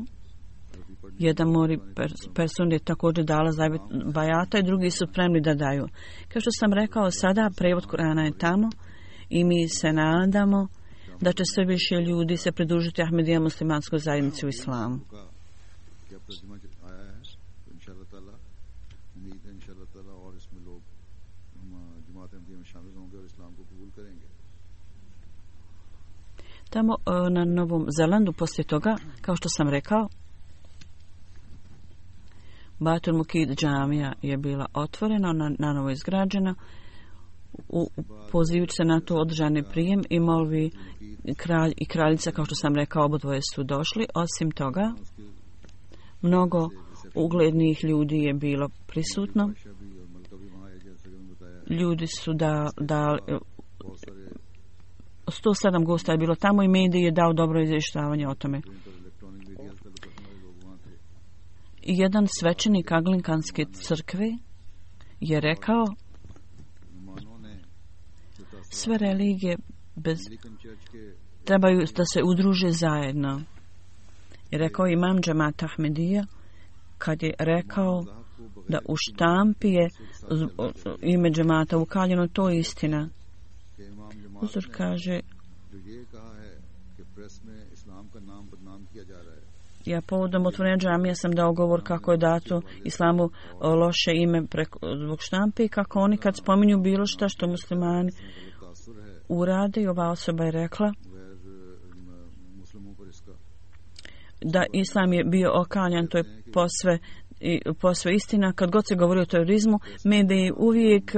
jedan mori person je također dala zavet bajata i drugi su spremni da daju. Kao što sam rekao, sada prevod Kur'ana je tamo i mi se nadamo da će sve više ljudi se pridružiti Ahmedija muslimanskoj zajednici u islamu. Tamo na Novom Zelandu poslije toga, kao što sam rekao, Batul Mukid džamija je bila otvorena, na, na novo izgrađena. U, pozivajući se na to održani prijem i molvi kralj i kraljica, kao što sam rekao, obodvoje su došli. Osim toga, mnogo uglednih ljudi je bilo prisutno. Ljudi su da, da sto sedam gosta je bilo tamo i medij je dao dobro izvještavanje o tome. Jedan svećenik Anglikanske crkve je rekao: sve religije bez trebaju da se udruže zajedno. I rekao imam Džemat Ahmedija kad je rekao da u štampi je ime džemata ukaljeno, to je istina. Uzor kaže: ja povodom otvorenja džamija sam dao govor kako je dato islamu loše ime preko, zbog štampe i kako oni kad spominju bilo šta što muslimani urade, i ova osoba je rekla da islam je bio okaljan, to je posve, posve istina. Kad god se govori o terorizmu, mediji uvijek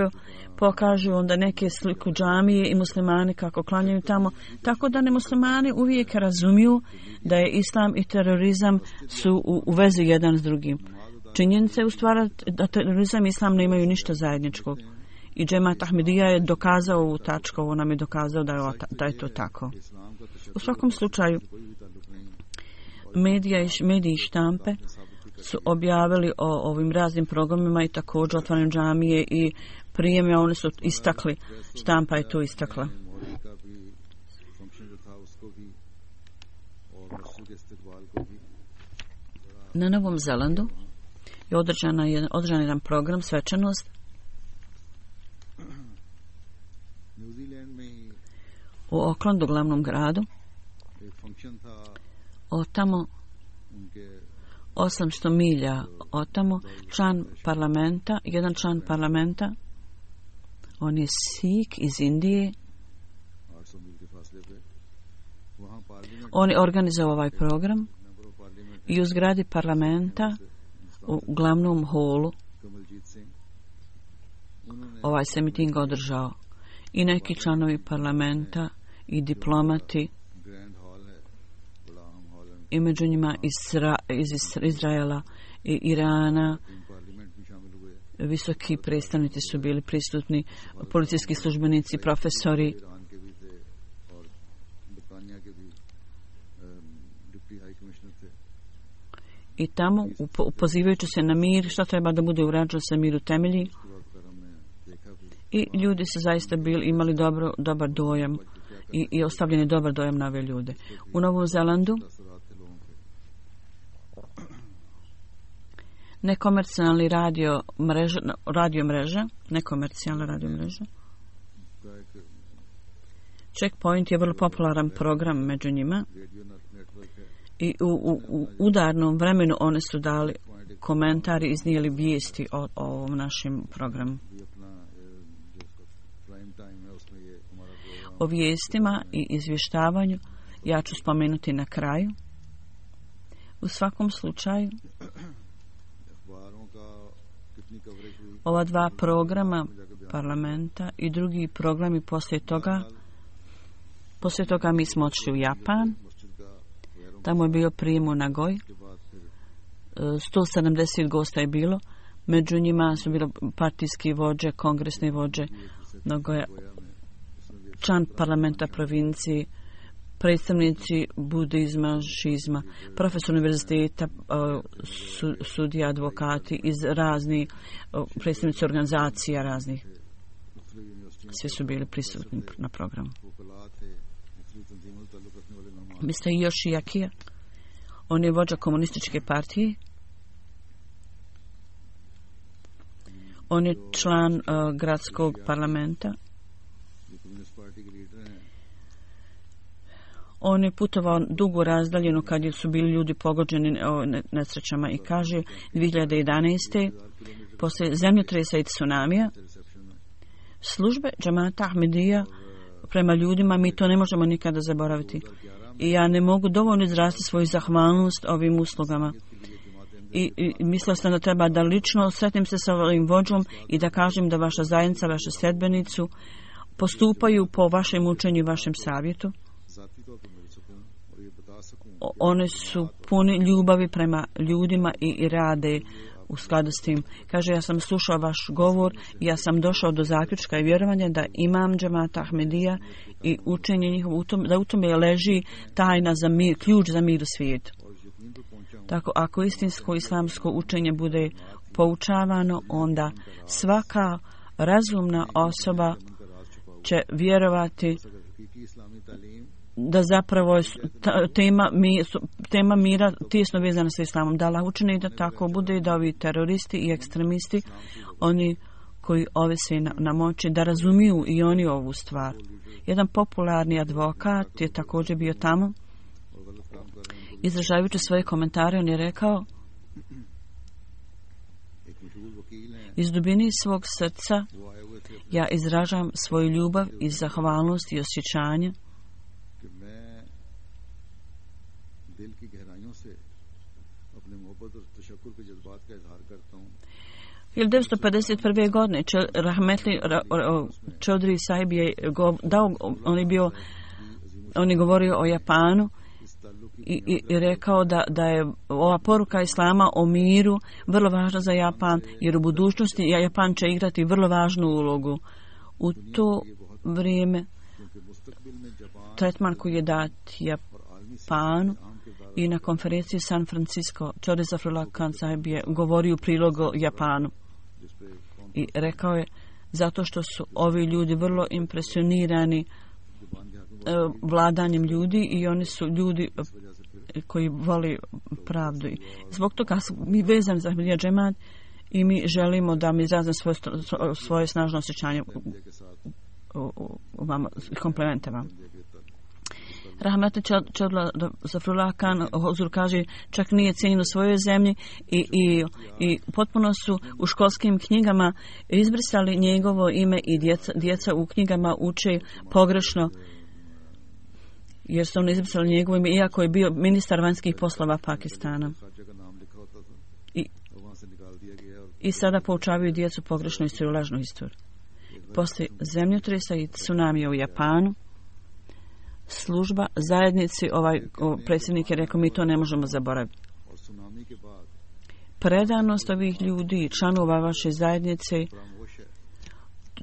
pokažu onda neke sliku džamije i muslimani kako klanjaju tamo, tako da ne muslimani uvijek razumiju da je islam i terorizam su u, u vezi jedan s drugim. Činjenica je u stvari da terorizam i islam ne imaju ništa zajedničkog. I Džemat Ahmedija je dokazao ovu tačku, ovo nam je dokazao da je, da je to tako. U svakom slučaju, medija i, mediji i štampe su objavili o ovim raznim programima i također otvaranju džamije i prijeme, oni su istakli, štampa je to istakla. Na Novom Zelandu je održana jedan, održan jedan program svečanost u Aucklandu, glavnom gradu. Od tamo osamsto milja od tamo član parlamenta, jedan član parlamenta, on je Sikh iz Indije. On je organizovao ovaj program i u zgradi parlamenta u glavnom holu ovaj se miting održao. I neki članovi parlamenta i diplomati i među njima Isra, iz Izraela i Irana, visoki predstavnici su bili prisutni, policijski službenici, profesori. I tamo, pozivajući se na mir, što treba da bude urađeno sa miru temelji. I ljudi su zaista bili, imali dobro, dobar dojam i, i ostavljeni dobar dojam na ove ljude. U Novom Zelandu nekomercijalni radio mreža, radio mreža, nekomercijalna radio mreža. Checkpoint je vrlo popularan program među njima i u, u, u udarnom vremenu oni su dali komentari, iznijeli vijesti o, o ovom našem programu. O vijestima i izvještavanju ja ću spomenuti na kraju. U svakom slučaju, ova dva programa parlamenta i drugi programi poslije toga, poslije toga mi smo odšli u Japan. Tamo je bio prijem u Nagoj. sto sedamdeset gosta je bilo. Među njima su bilo partijski vođe, kongresni vođe, Nagoja, član parlamenta provinciji, predstavnici budizma, šizma, profesor univerziteta, su, sudija, advokati iz raznih, predstavnici organizacija raznih. Svi su bili prisutni na programu. mister Yoshiaki, on je vođa komunističke partije. On je član uh, gradskog parlamenta On je putovao dugo razdaljeno kad su bili ljudi pogođeni nesrećama i kaže dvije hiljade jedanaeste. poslije zemljotresa i tsunamija službe džemata Ahmedija prema ljudima, mi to ne možemo nikada zaboraviti. I ja ne mogu dovoljno izraziti svoju zahvalnost ovim uslugama. I, i mislila sam da treba da lično sretnem se sa ovim vođom i da kažem da vaša zajednica, vaše sljedbenicu postupaju po vašem učenju i vašem savjetu. O, one su puni ljubavi prema ljudima i, i rade u skladu s tim. Kaže, ja sam slušao vaš govor i ja sam došao do zaključka i vjerovanja da imam džemata Ahmedija i učenje njihovo, da u tome leži tajna za mir, ključ za mir u svijetu. Tako, ako istinsko islamsko učenje bude poučavano, onda svaka razumna osoba će vjerovati da zapravo je tema, tema mira tijesno vezana sa islamom. Da Allah učini da tako bude i da ovi teroristi i ekstremisti, oni koji ovise na, na moći, da razumiju i oni ovu stvar. Jedan popularni advokat je također bio tamo. Izražavajući svoje komentare, on je rekao: iz dubine svog srca ja izražavam svoju ljubav i zahvalnost i osjećanje hiljadu devetsto pedeset prve. godine Rahmetli Čodri Sahib je dao, on je bio, on je govorio o Japanu i, i, i rekao da, da je ova poruka Islama o miru vrlo važna za Japan, jer u budućnosti Japan će igrati vrlo važnu ulogu. U to vrijeme tretman koji je dat Japanu i na konferenciji San Francisco Čodri Zafrullah Khan Sahib je govorio u prilog o Japanu i rekao je zato što su ovi ljudi vrlo impresionirani vladanjem ljudi i oni su ljudi koji voli pravdu. Zbog toga smo mi vezani za Ahmedija džemat i mi želimo da mi izrazimo svoje, svoje snažno osjećanje u vama, komplemente vam. Rahmeti Čodla Zafrullah Khan Huzur kaže čak nije cijenjen u svojoj zemlji i, i, i potpuno su u školskim knjigama izbrisali njegovo ime i djeca, djeca u knjigama uče pogrešno jer su oni izbrisali njegovo ime iako je bio ministar vanjskih poslova Pakistana. I, i sada poučavaju djecu pogrešno i svoju lažnu istoriju. Poslije zemljotresa i tsunamija u Japanu služba zajednici, ovaj predsjednik je rekao mi to ne možemo zaboraviti. Predanost ovih ljudi, članova vaše zajednice,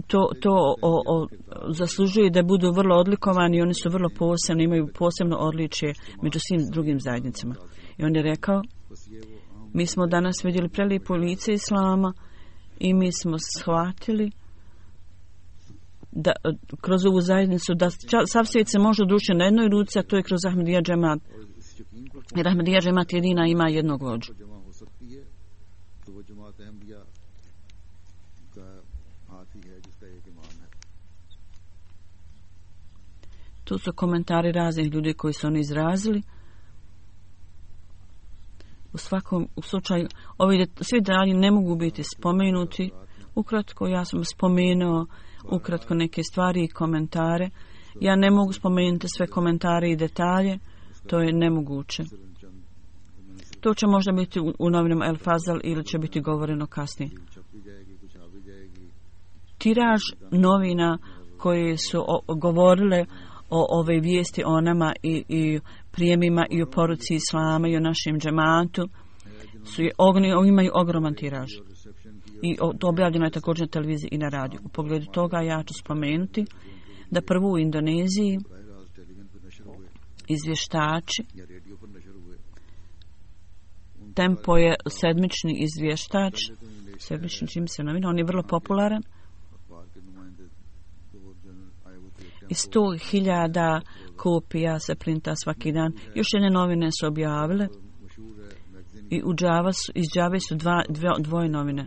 to, to o, o, zaslužuje da budu vrlo odlikovani i oni su vrlo posebni, imaju posebno odličje među svim drugim zajednicama. I on je rekao, mi smo danas vidjeli prelijepo lice Islama i mi smo shvatili da kroz ovu zajednicu da sav svijet se može udružiti na jednoj ruci, a to je kroz Ahmedija džemat. Jer Ahmedija džemat jedina ima jednog vođu. Tu su komentari raznih ljudi koji su oni izrazili. U svakom slučaju, ovi svi detalji ne mogu biti spomenuti. Ukratko, ja sam spomenuo ukratko neke stvari i komentare. Ja ne mogu spomenuti sve komentare i detalje, to je nemoguće. To će možda biti u, u novinama El Fazal ili će biti govoreno kasnije. Tiraž novina koje su o, govorile o ove vijesti o nama i, i prijemima i o poruci Islama i o našem džematu su je, ogni, imaju ogroman tiraž. I to objavljeno je također na televiziji i na radiju. U pogledu toga ja ću spomenuti da prvo u Indoneziji izvještači, Tempo je sedmični izvještač, sedmični čim se novina, on je vrlo popularan i sto hiljada kopija se printa svaki dan. Još jedne novine su objavile i u Džava su, iz Džave su dva, dve, dvoje novine.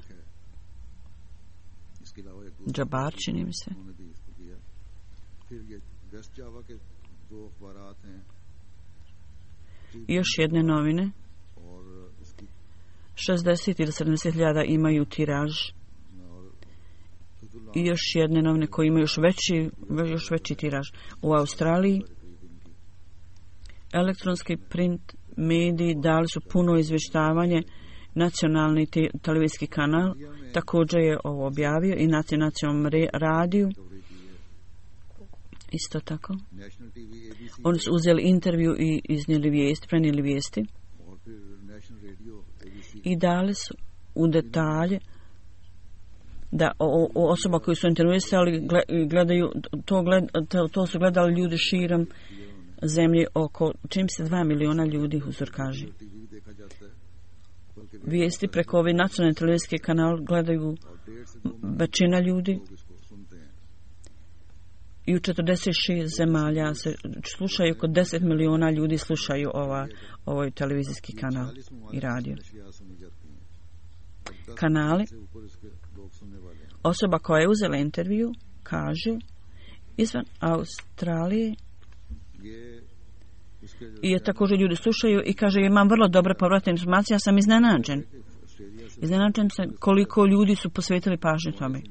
Džabar, čini mi se. I još jedne novine, šezdeset ili sedamdeset hiljada imaju tiraž. I još jedne novine koje imaju još veći, još veći tiraž. U Australiji elektronski print mediji dali su puno izvještavanje. Nacionalni te, televizijski kanal također je ovo objavio i na nacionalnom radiju isto tako. Oni su uzeli intervju i iznijeli vijesti, prenijeli vijesti i dali su u detalje da o, o osoba koju su intervjuisali gledaju, to, gled, to, to su gledali ljudi širom zemlje, oko čim se dva miliona ljudi, Huzur kaže. Vijesti preko ove nacionalne televizijske kanal gledaju većina ljudi i u četrdeset šest zemalja se slušaju, oko deset miliona ljudi slušaju ova, ovaj televizijski kanal i radio. Kanali. Osoba koja je uzela intervju kaže izvan Australije i je također ljudi slušaju i kaže imam vrlo dobre povratne informacije, ja sam iznenađen. Iznenađen sam koliko ljudi su posvetili pažnju tome.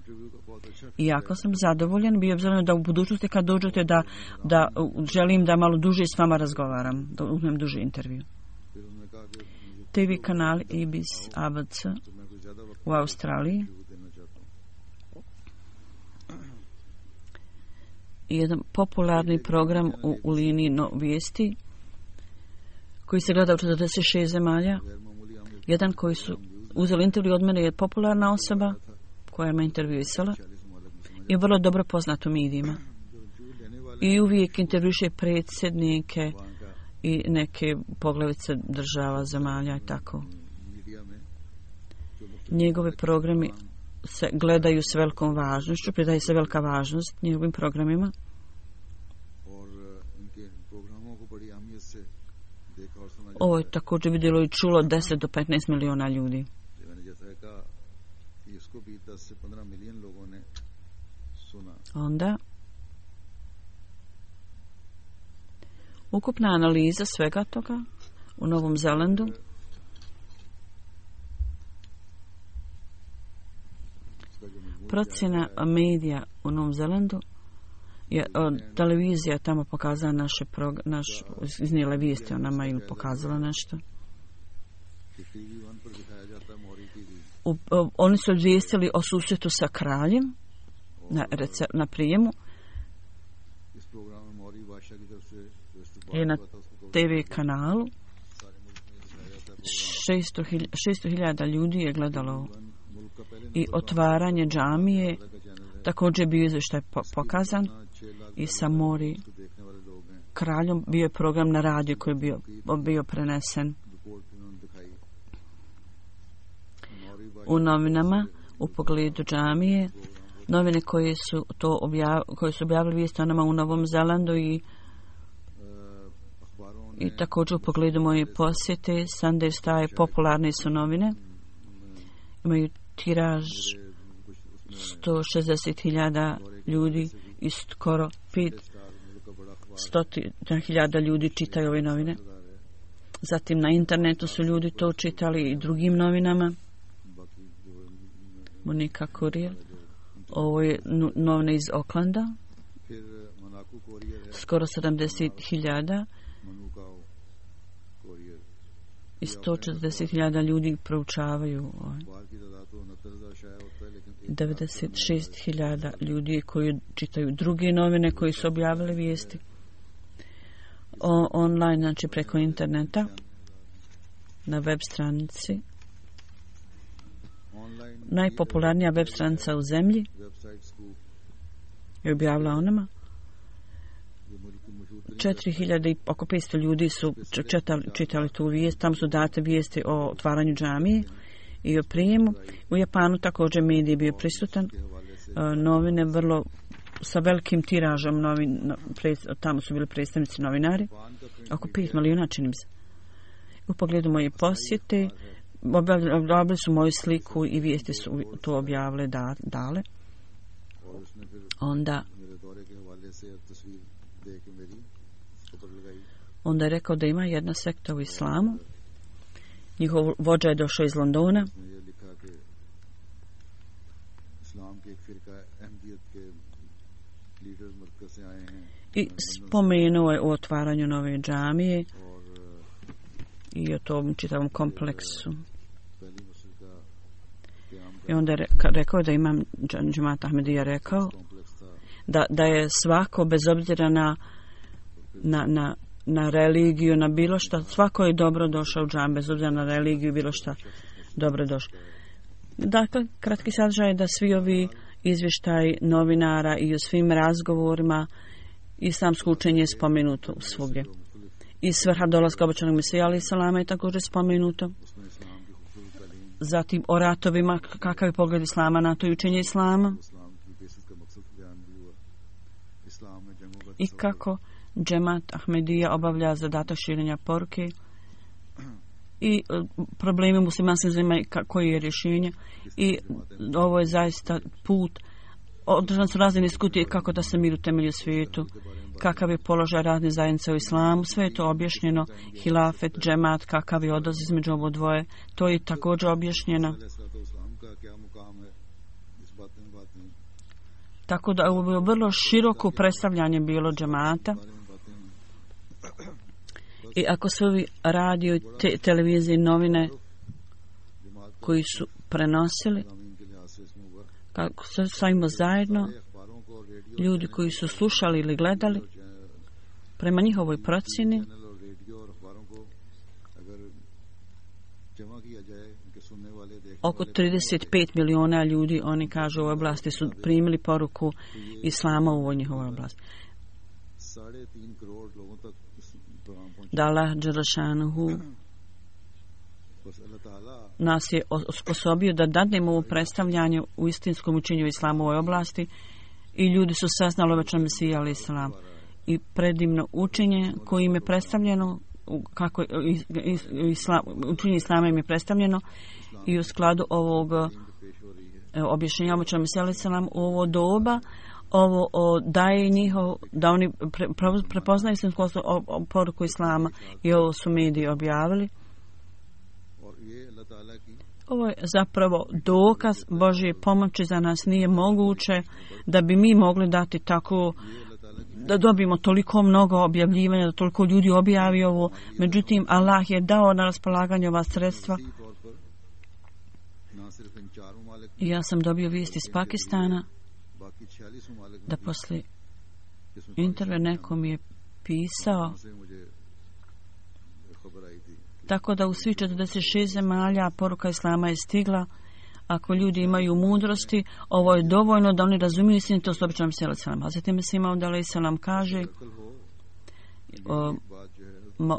I jako sam zadovoljan, bio obzirom da u budućnosti kad dođete da, da želim da malo duže s vama razgovaram, da uzmem duži intervju. T V kanal A B C, A B C u Australiji. Jedan popularni program u, u liniji no, vijesti koji se gleda u četrdeset šest zemalja. Jedan koji su uzeli intervju od mene je popularna osoba koja me intervjuisala i vrlo dobro poznat u medijima. I uvijek intervjuše predsjednike i neke poglavice država, zemalja i tako. Njegove programi se gledaju s velikom važnošću, pridaje se velika važnost njegovim programima. Ovo je također vidjelo i čulo deset do petnaest miliona ljudi. Onda ukupna analiza svega toga u Novom Zelandu procjena medija u Novom Zelandu je od televizija tamo pokazala naše prog, naš iznijela vijesti o nama ili pokazala nešto. U, o, oni su izvijestili o susretu sa kraljem na, rece, na prijemu i na T V kanalu šesto hiljada ljudi je gledalo i otvaranje džamije također bio izvještaj pokazan i sa Mori kraljom bio je program na radiju koji je bio, bio prenesen u novinama u pogledu džamije, novine koje su to objav, koje su objavili vijesti o nama u Novom Zelandu i i također u pogledu moje posjete Sunday Star popularne su novine, imaju tiraž sto šezdeset hiljada ljudi i skoro petsto hiljada ljudi čitaju ove novine. Zatim na internetu su ljudi to čitali i drugim novinama. Monika Courier, ovo je novine iz Aucklanda, skoro sedamdeset hiljada i sto četrdeset hiljada ljudi proučavaju. devedeset šest hiljada ljudi koji čitaju druge novine koji su objavili vijesti o, online, znači preko interneta na web stranici. Najpopularnija web stranica u zemlji je objavila o nama. četiri hiljade i oko petsto ljudi su čitali, čitali tu vijest. Tam su date vijesti o otvaranju džamije i o prijemu. U Japanu također medij bio prisutan. Novine vrlo sa velikim tiražom novin, tamo su bili predstavnici novinari. Oko pet milijuna činim se. U pogledu moje posjete objavili su moju sliku i vijesti su to objavile da, dale. Onda Onda je rekao da ima jedna sekta u islamu. Njihov vođa je došao iz Londona. I spomenuo je o otvaranju nove džamije i o tom čitavom kompleksu. I onda je rekao da imam džemat Ahmedija rekao da, da je svako bez obzira na, na, na, na religiju, na bilo šta, svako je dobro došao u džam, bez obzira na religiju, bilo šta dobro došao. Dakle, kratki sadržaj je da svi ovi izvještaj novinara i u svim razgovorima islamsko učenje je spomenuto svugdje. I svrha dolaska obećanog Mesija alejhi selama je također spomenuto. Zatim o ratovima, kakav je pogled islama na to i učenje islama. I kako džemat Ahmedija obavlja zadatak širenja poruke i problemi muslimanskih zemlja koji je rješenje. I ovo je zaista put. Održane su razne diskutije kako da se mir utemelji u svijetu, kakav je položaj razne zajednice u islamu, sve je to objašnjeno, hilafet, džemat, kakav je odnos između ovo dvoje, to je također objašnjeno. Tako da ovo je bilo vrlo široko predstavljanje bilo džemata. I ako su ovi radio, te, televizije, novine koji su prenosili, kako se stavimo zajedno, ljudi koji su slušali ili gledali, prema njihovoj procjeni, oko trideset pet miliona ljudi, oni kažu, u ovoj oblasti su primili poruku islama u ovoj njihovoj oblasti. Da Allah dželešanuhu nas je osposobio da dadnemo ovo predstavljanje u istinskom učenju islama u ovoj oblasti i ljudi su saznali obećan Mesija alejhi selam i predivno učenje kojim je predstavljeno, kako islam, učenje islama im je predstavljeno i u skladu ovog objašnjenja obećan Mesija alejhi selam u ovo doba ovo o, daje njihov, da oni pre, pre, prepoznaju istinsku poruku islama i ovo su mediji objavili. Ovo je zapravo dokaz Božje pomoći za nas. Nije moguće da bi mi mogli dati tako, da dobijemo toliko mnogo objavljivanja, da toliko ljudi objavi ovo. Međutim, Allah je dao na raspolaganje ova sredstva. I ja sam dobio vijest iz Pakistana da posle intervjua neko mi je pisao, tako da u svih četrdeset šest zemalja poruka islama je stigla. Ako ljudi imaju mudrosti, ovo je dovoljno da oni razumiju istinitost obećanog Mesija alejhi selam. Hazreti Mesih Maud alejhi selam kaže, o,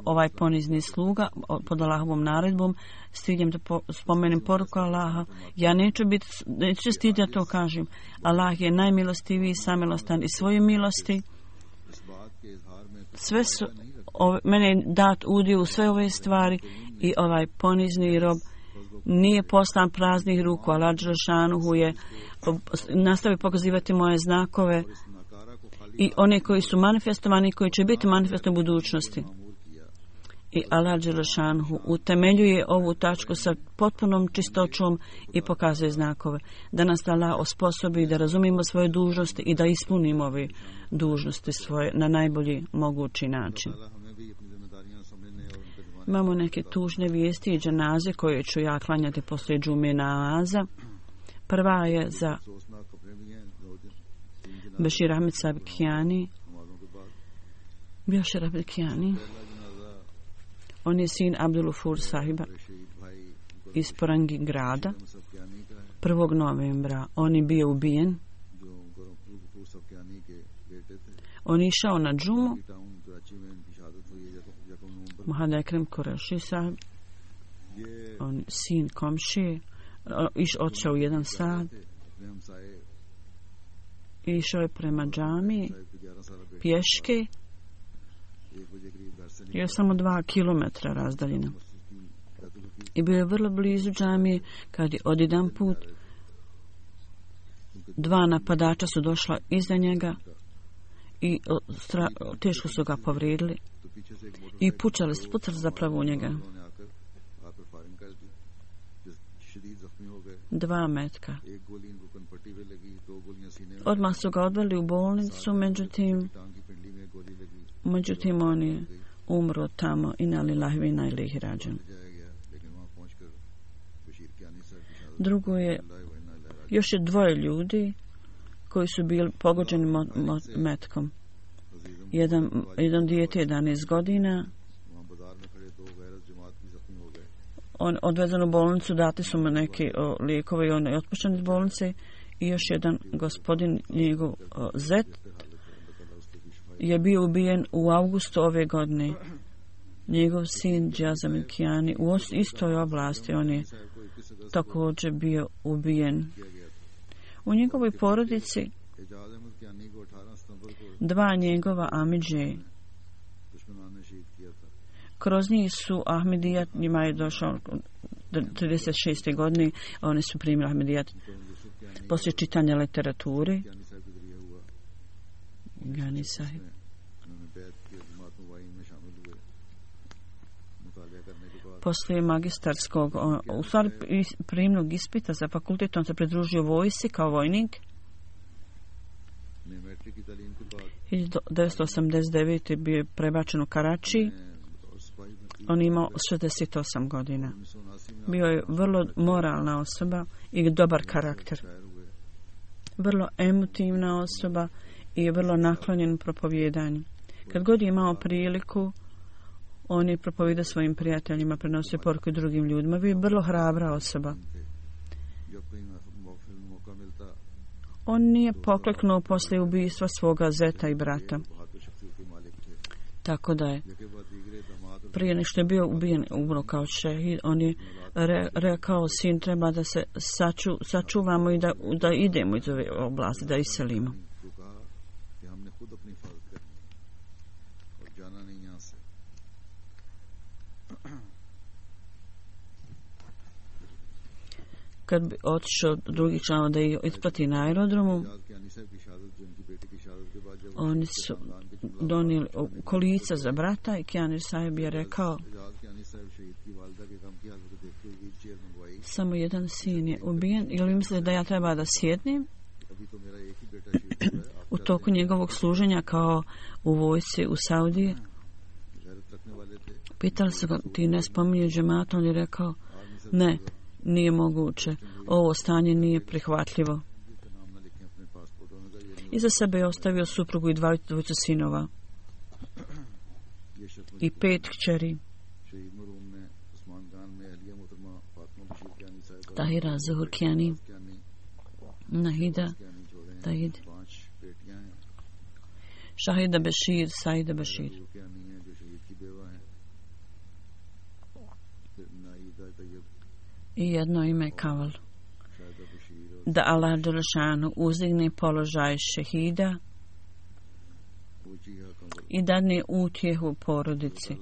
ovaj ponizni sluga pod Allahovom naredbom, stignem da po, spomenem poruku Allaha. Ja neću biti, neću stiditi da to kažem. Allah je najmilostiviji, samilostan i svoje milosti. Sve su, ove, mene je dat udio u sve ove stvari i ovaj ponizni rob nije poslan praznih ruku. Allah dželešanuhu je nastavi pokazivati moje znakove i one koji su manifestovani i koji će biti manifestovani u budućnosti. I Allah dželešanuhu utemeljuje ovu tačku sa potpunom čistoćom i pokazuje znakove. Da nas Allah osposobi da razumijemo svoje dužnosti i da ispunimo ove dužnosti svoje na najbolji mogući način. Imamo neke tužne vijesti i dženaze koje ću ja klanjati poslije džume namaza. Prva je za Bešir Ahmed Sabkiani. Bešir Ahmed Sabkiani. On je sin Abdulufur sahiba iz Porangi grada. prvog novembra on je bio ubijen. On je išao na džumu. Muhammed Ekrem Kureši sahib, on sin komšije, iš odšao u jedan sad. Išao je prema džamiji pješke. Je samo dva kilometra razdaljina. I bio je vrlo blizu džamije kad je odjedan put dva napadača su došla iza njega i o, stra, teško su ga povrijedili i pucali, pucali zapravo u njega. Dva metka. Odmah su ga odveli u bolnicu, međutim, međutim on je umro tamo i na lillahi ve inna ilaihi rađun. Drugo je, još je dvoje ljudi koji su bili pogođeni mo, mo, metkom. Jedan, jedan dijete jedanaest godina, on odvezen u bolnicu, dati su mu neki o, lijekove i on je otpušten iz bolnice. I još jedan gospodin, njegov o, zet, je bio ubijen u avgustu ove godine. Njegov sin Džazam Kijani u istoj oblasti, on je također bio ubijen. U njegovoj porodici dva njegova amidže, kroz njih su Ahmedijat, njima je došao trideset šeste godine, oni su primili Ahmedijat poslije čitanja literature. Gani sahib. Poslije magistarskog, u stvari prijemnog ispita za fakultet, on se pridružio vojsci kao vojnik. hiljadu devetsto osamdeset devete. bio je prebačen u Karači. On imao šezdeset osam godina. Bio je vrlo moralna osoba i dobar karakter. Vrlo emotivna osoba i vrlo naklonjen propovijedanju. Kad god je imao priliku, on je propovijedao svojim prijateljima, prenosio poruku drugim ljudima. Bio je vrlo hrabra osoba. On nije pokleknuo poslije ubistva svoga zeta i brata. Tako da je prije nego što je bio ubijen, umro kao šehid, on je re, rekao, sin, treba da se saču, sačuvamo i da, da idemo iz ove oblasti, da iselimo. Kad bi otišao drugih članova da ih isplati na aerodromu, oni su donijeli kolica za brata i Kijani sahib je rekao, samo jedan sin je ubijen, ili mislite da ja treba da sjednem? U toku njegovog služenja kao u vojsci u Saudiji, pitali su ga, ti ne spominje džemat, on je rekao, ne, nije moguće, ovo stanje nije prihvatljivo. Iza sebe je ostavio suprugu i dvojicu sinova i pet kćeri. Tahira, Zuhur Kijani, Nahida, Tahid, Shahida Bashir, Saida Bashir. I jedno ime Kaval. Da Allah Đelešanu uzdigne položaj šehida i dadne utjehu porodici.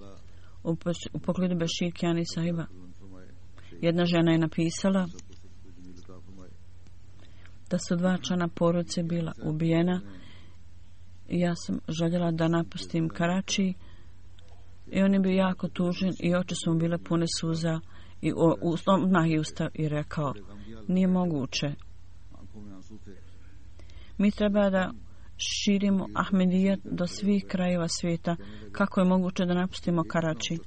U, u pogledu Bashir Kijani sahiba, jedna žena je napisala da su dva člana porodice bila ubijena i ja sam željela da napustim Karači i on je bio jako tužen i oči su mu bile pune suza i odmah je ustao i rekao, nije moguće. Mi treba da širimo Ahmedijat do svih krajeva svijeta. Kako je moguće da napustimo Karači?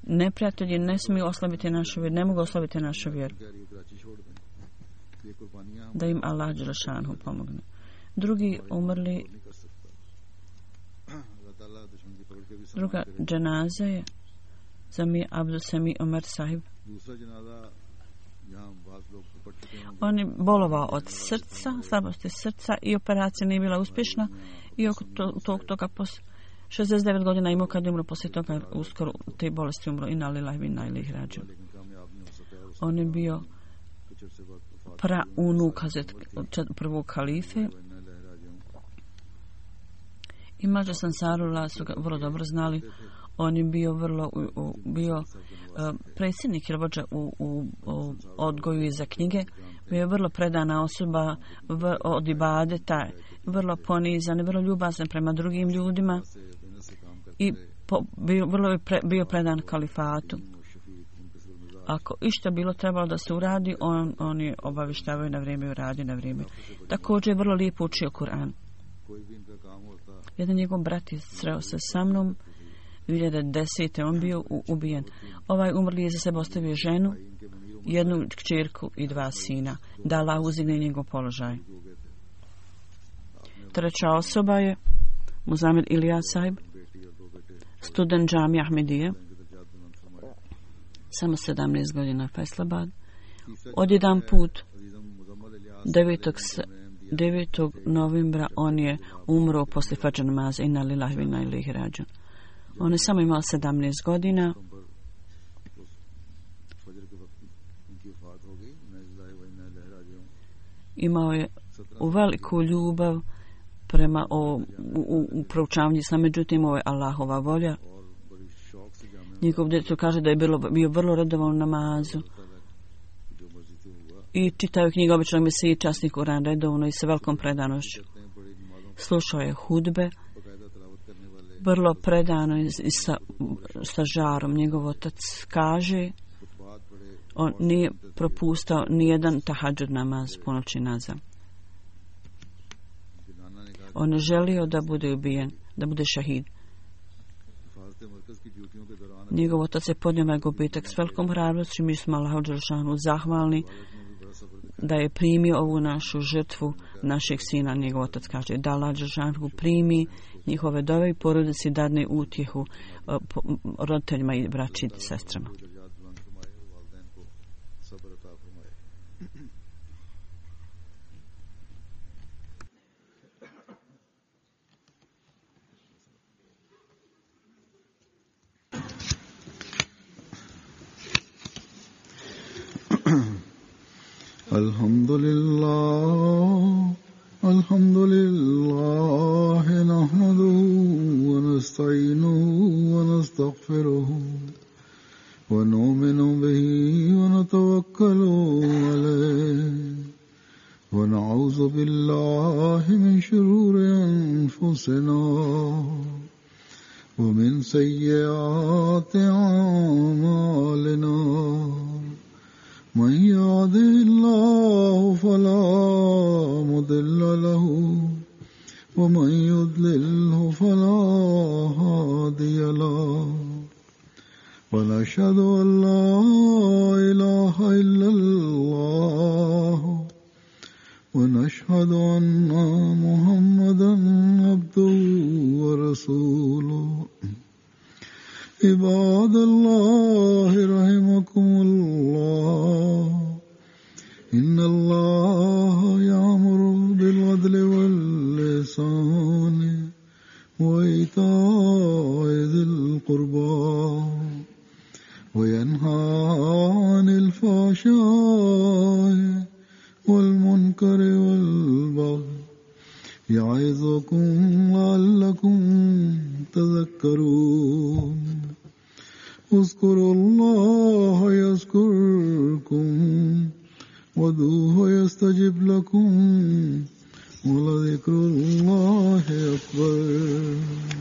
Neprijatelji ne smiju oslabiti našu vjeru, ne mogu oslabiti našu vjeru. Da im Allah Đelešanu pomogne. Drugi umrli, druga dženaza je Zami Abdul Sami Omar sahib. On je bolovao od srca, slabosti srca i operacija nije bila uspješna i oko to, tog toga pos šezdeset devet godina imao kad je umro, poslije toga uskoro te bolesti umro i na lillahi ve inna ilaihi rađun. On je bio praunuk Hazret prvog halife i Mađa Sansarullah su ga vrlo dobro znali. On je bio vrlo bio uh, predsjednik ili vođa u, u, u odgoju i za knjige. Bio je vrlo predana osoba v, od ibadeta, vrlo ponizan, vrlo ljubazan prema drugim ljudima i po, bio, vrlo je pre, bio predan kalifatu. Ako išta bilo trebalo da se uradi, on, on je obavištavao na vrijeme i uradi na vrijeme. Također je vrlo lijepo učio Kur'an. Jedan njegov brat je sreo se sa mnom dvije hiljade desete. On bio u, ubijen. Ovaj umrli je za sebe ostavio ženu, jednu kćerku i dva sina. Da Allah uzigne njegov položaj. Treća osoba je Muzamil Ilyas Sahib, student džamije Ahmedije, samo sedamnaest godina, Faisalabad. Odjedan put devetog novembra on je umro poslije fadž namaza. Inna lillahi wa inna ilaihi rađun. On je samo imao sedamnaest godina. Imao je u veliku ljubav prema o, u, u, u proučavanju islama, međutim ovo je Allahova volja. Njegov djeto kaže da je bilo, bio vrlo redovan u namazu i čitaju knjige običnog mesiji, časni Kur'an redovno i sa velikom predanošću. Slušao je hudbe vrlo predano i, i sa, sa žarom. Njegov otac kaže on nije propustao nijedan tahadžud namaz ponoći nazad. On je želio da bude ubijen, da bude šahid. Njegov otac je podnio ovaj gubitak s velikom hrabrošću. Mi smo Allahu dželešanu zahvalni da je primio ovu našu žrtvu našeg sina. Njegov otac kaže da Allah dželešanu primi njihove dove i porodici dadne utjehu roditeljima i braći i sestrama.
Alhamdulillah, alhamdulillah, nahmaduhu wa nasta'inuhu wa nastaghfiruhu wa nu'minu bihi wa natawakkalu alayhi wa na'udhu billahi min shururi anfusina wa min sayyiati a'malina. من يهده الله فلا مضل له ومن يضلله فلا هادي له ونشهد أن لا إله إلا الله ونشهد أن محمدا عبده ورسوله. عباد الله رحمكم الله إن الله يأمر بالعدل والإحسان وإيتاء ذي القربى وينهى عن الفحشاء والمنكر والبغي يعظكم لعلكم تذكرون. اذكروا الله يذكركم وادعوه يستجب لكم ولذكر الله أكبر.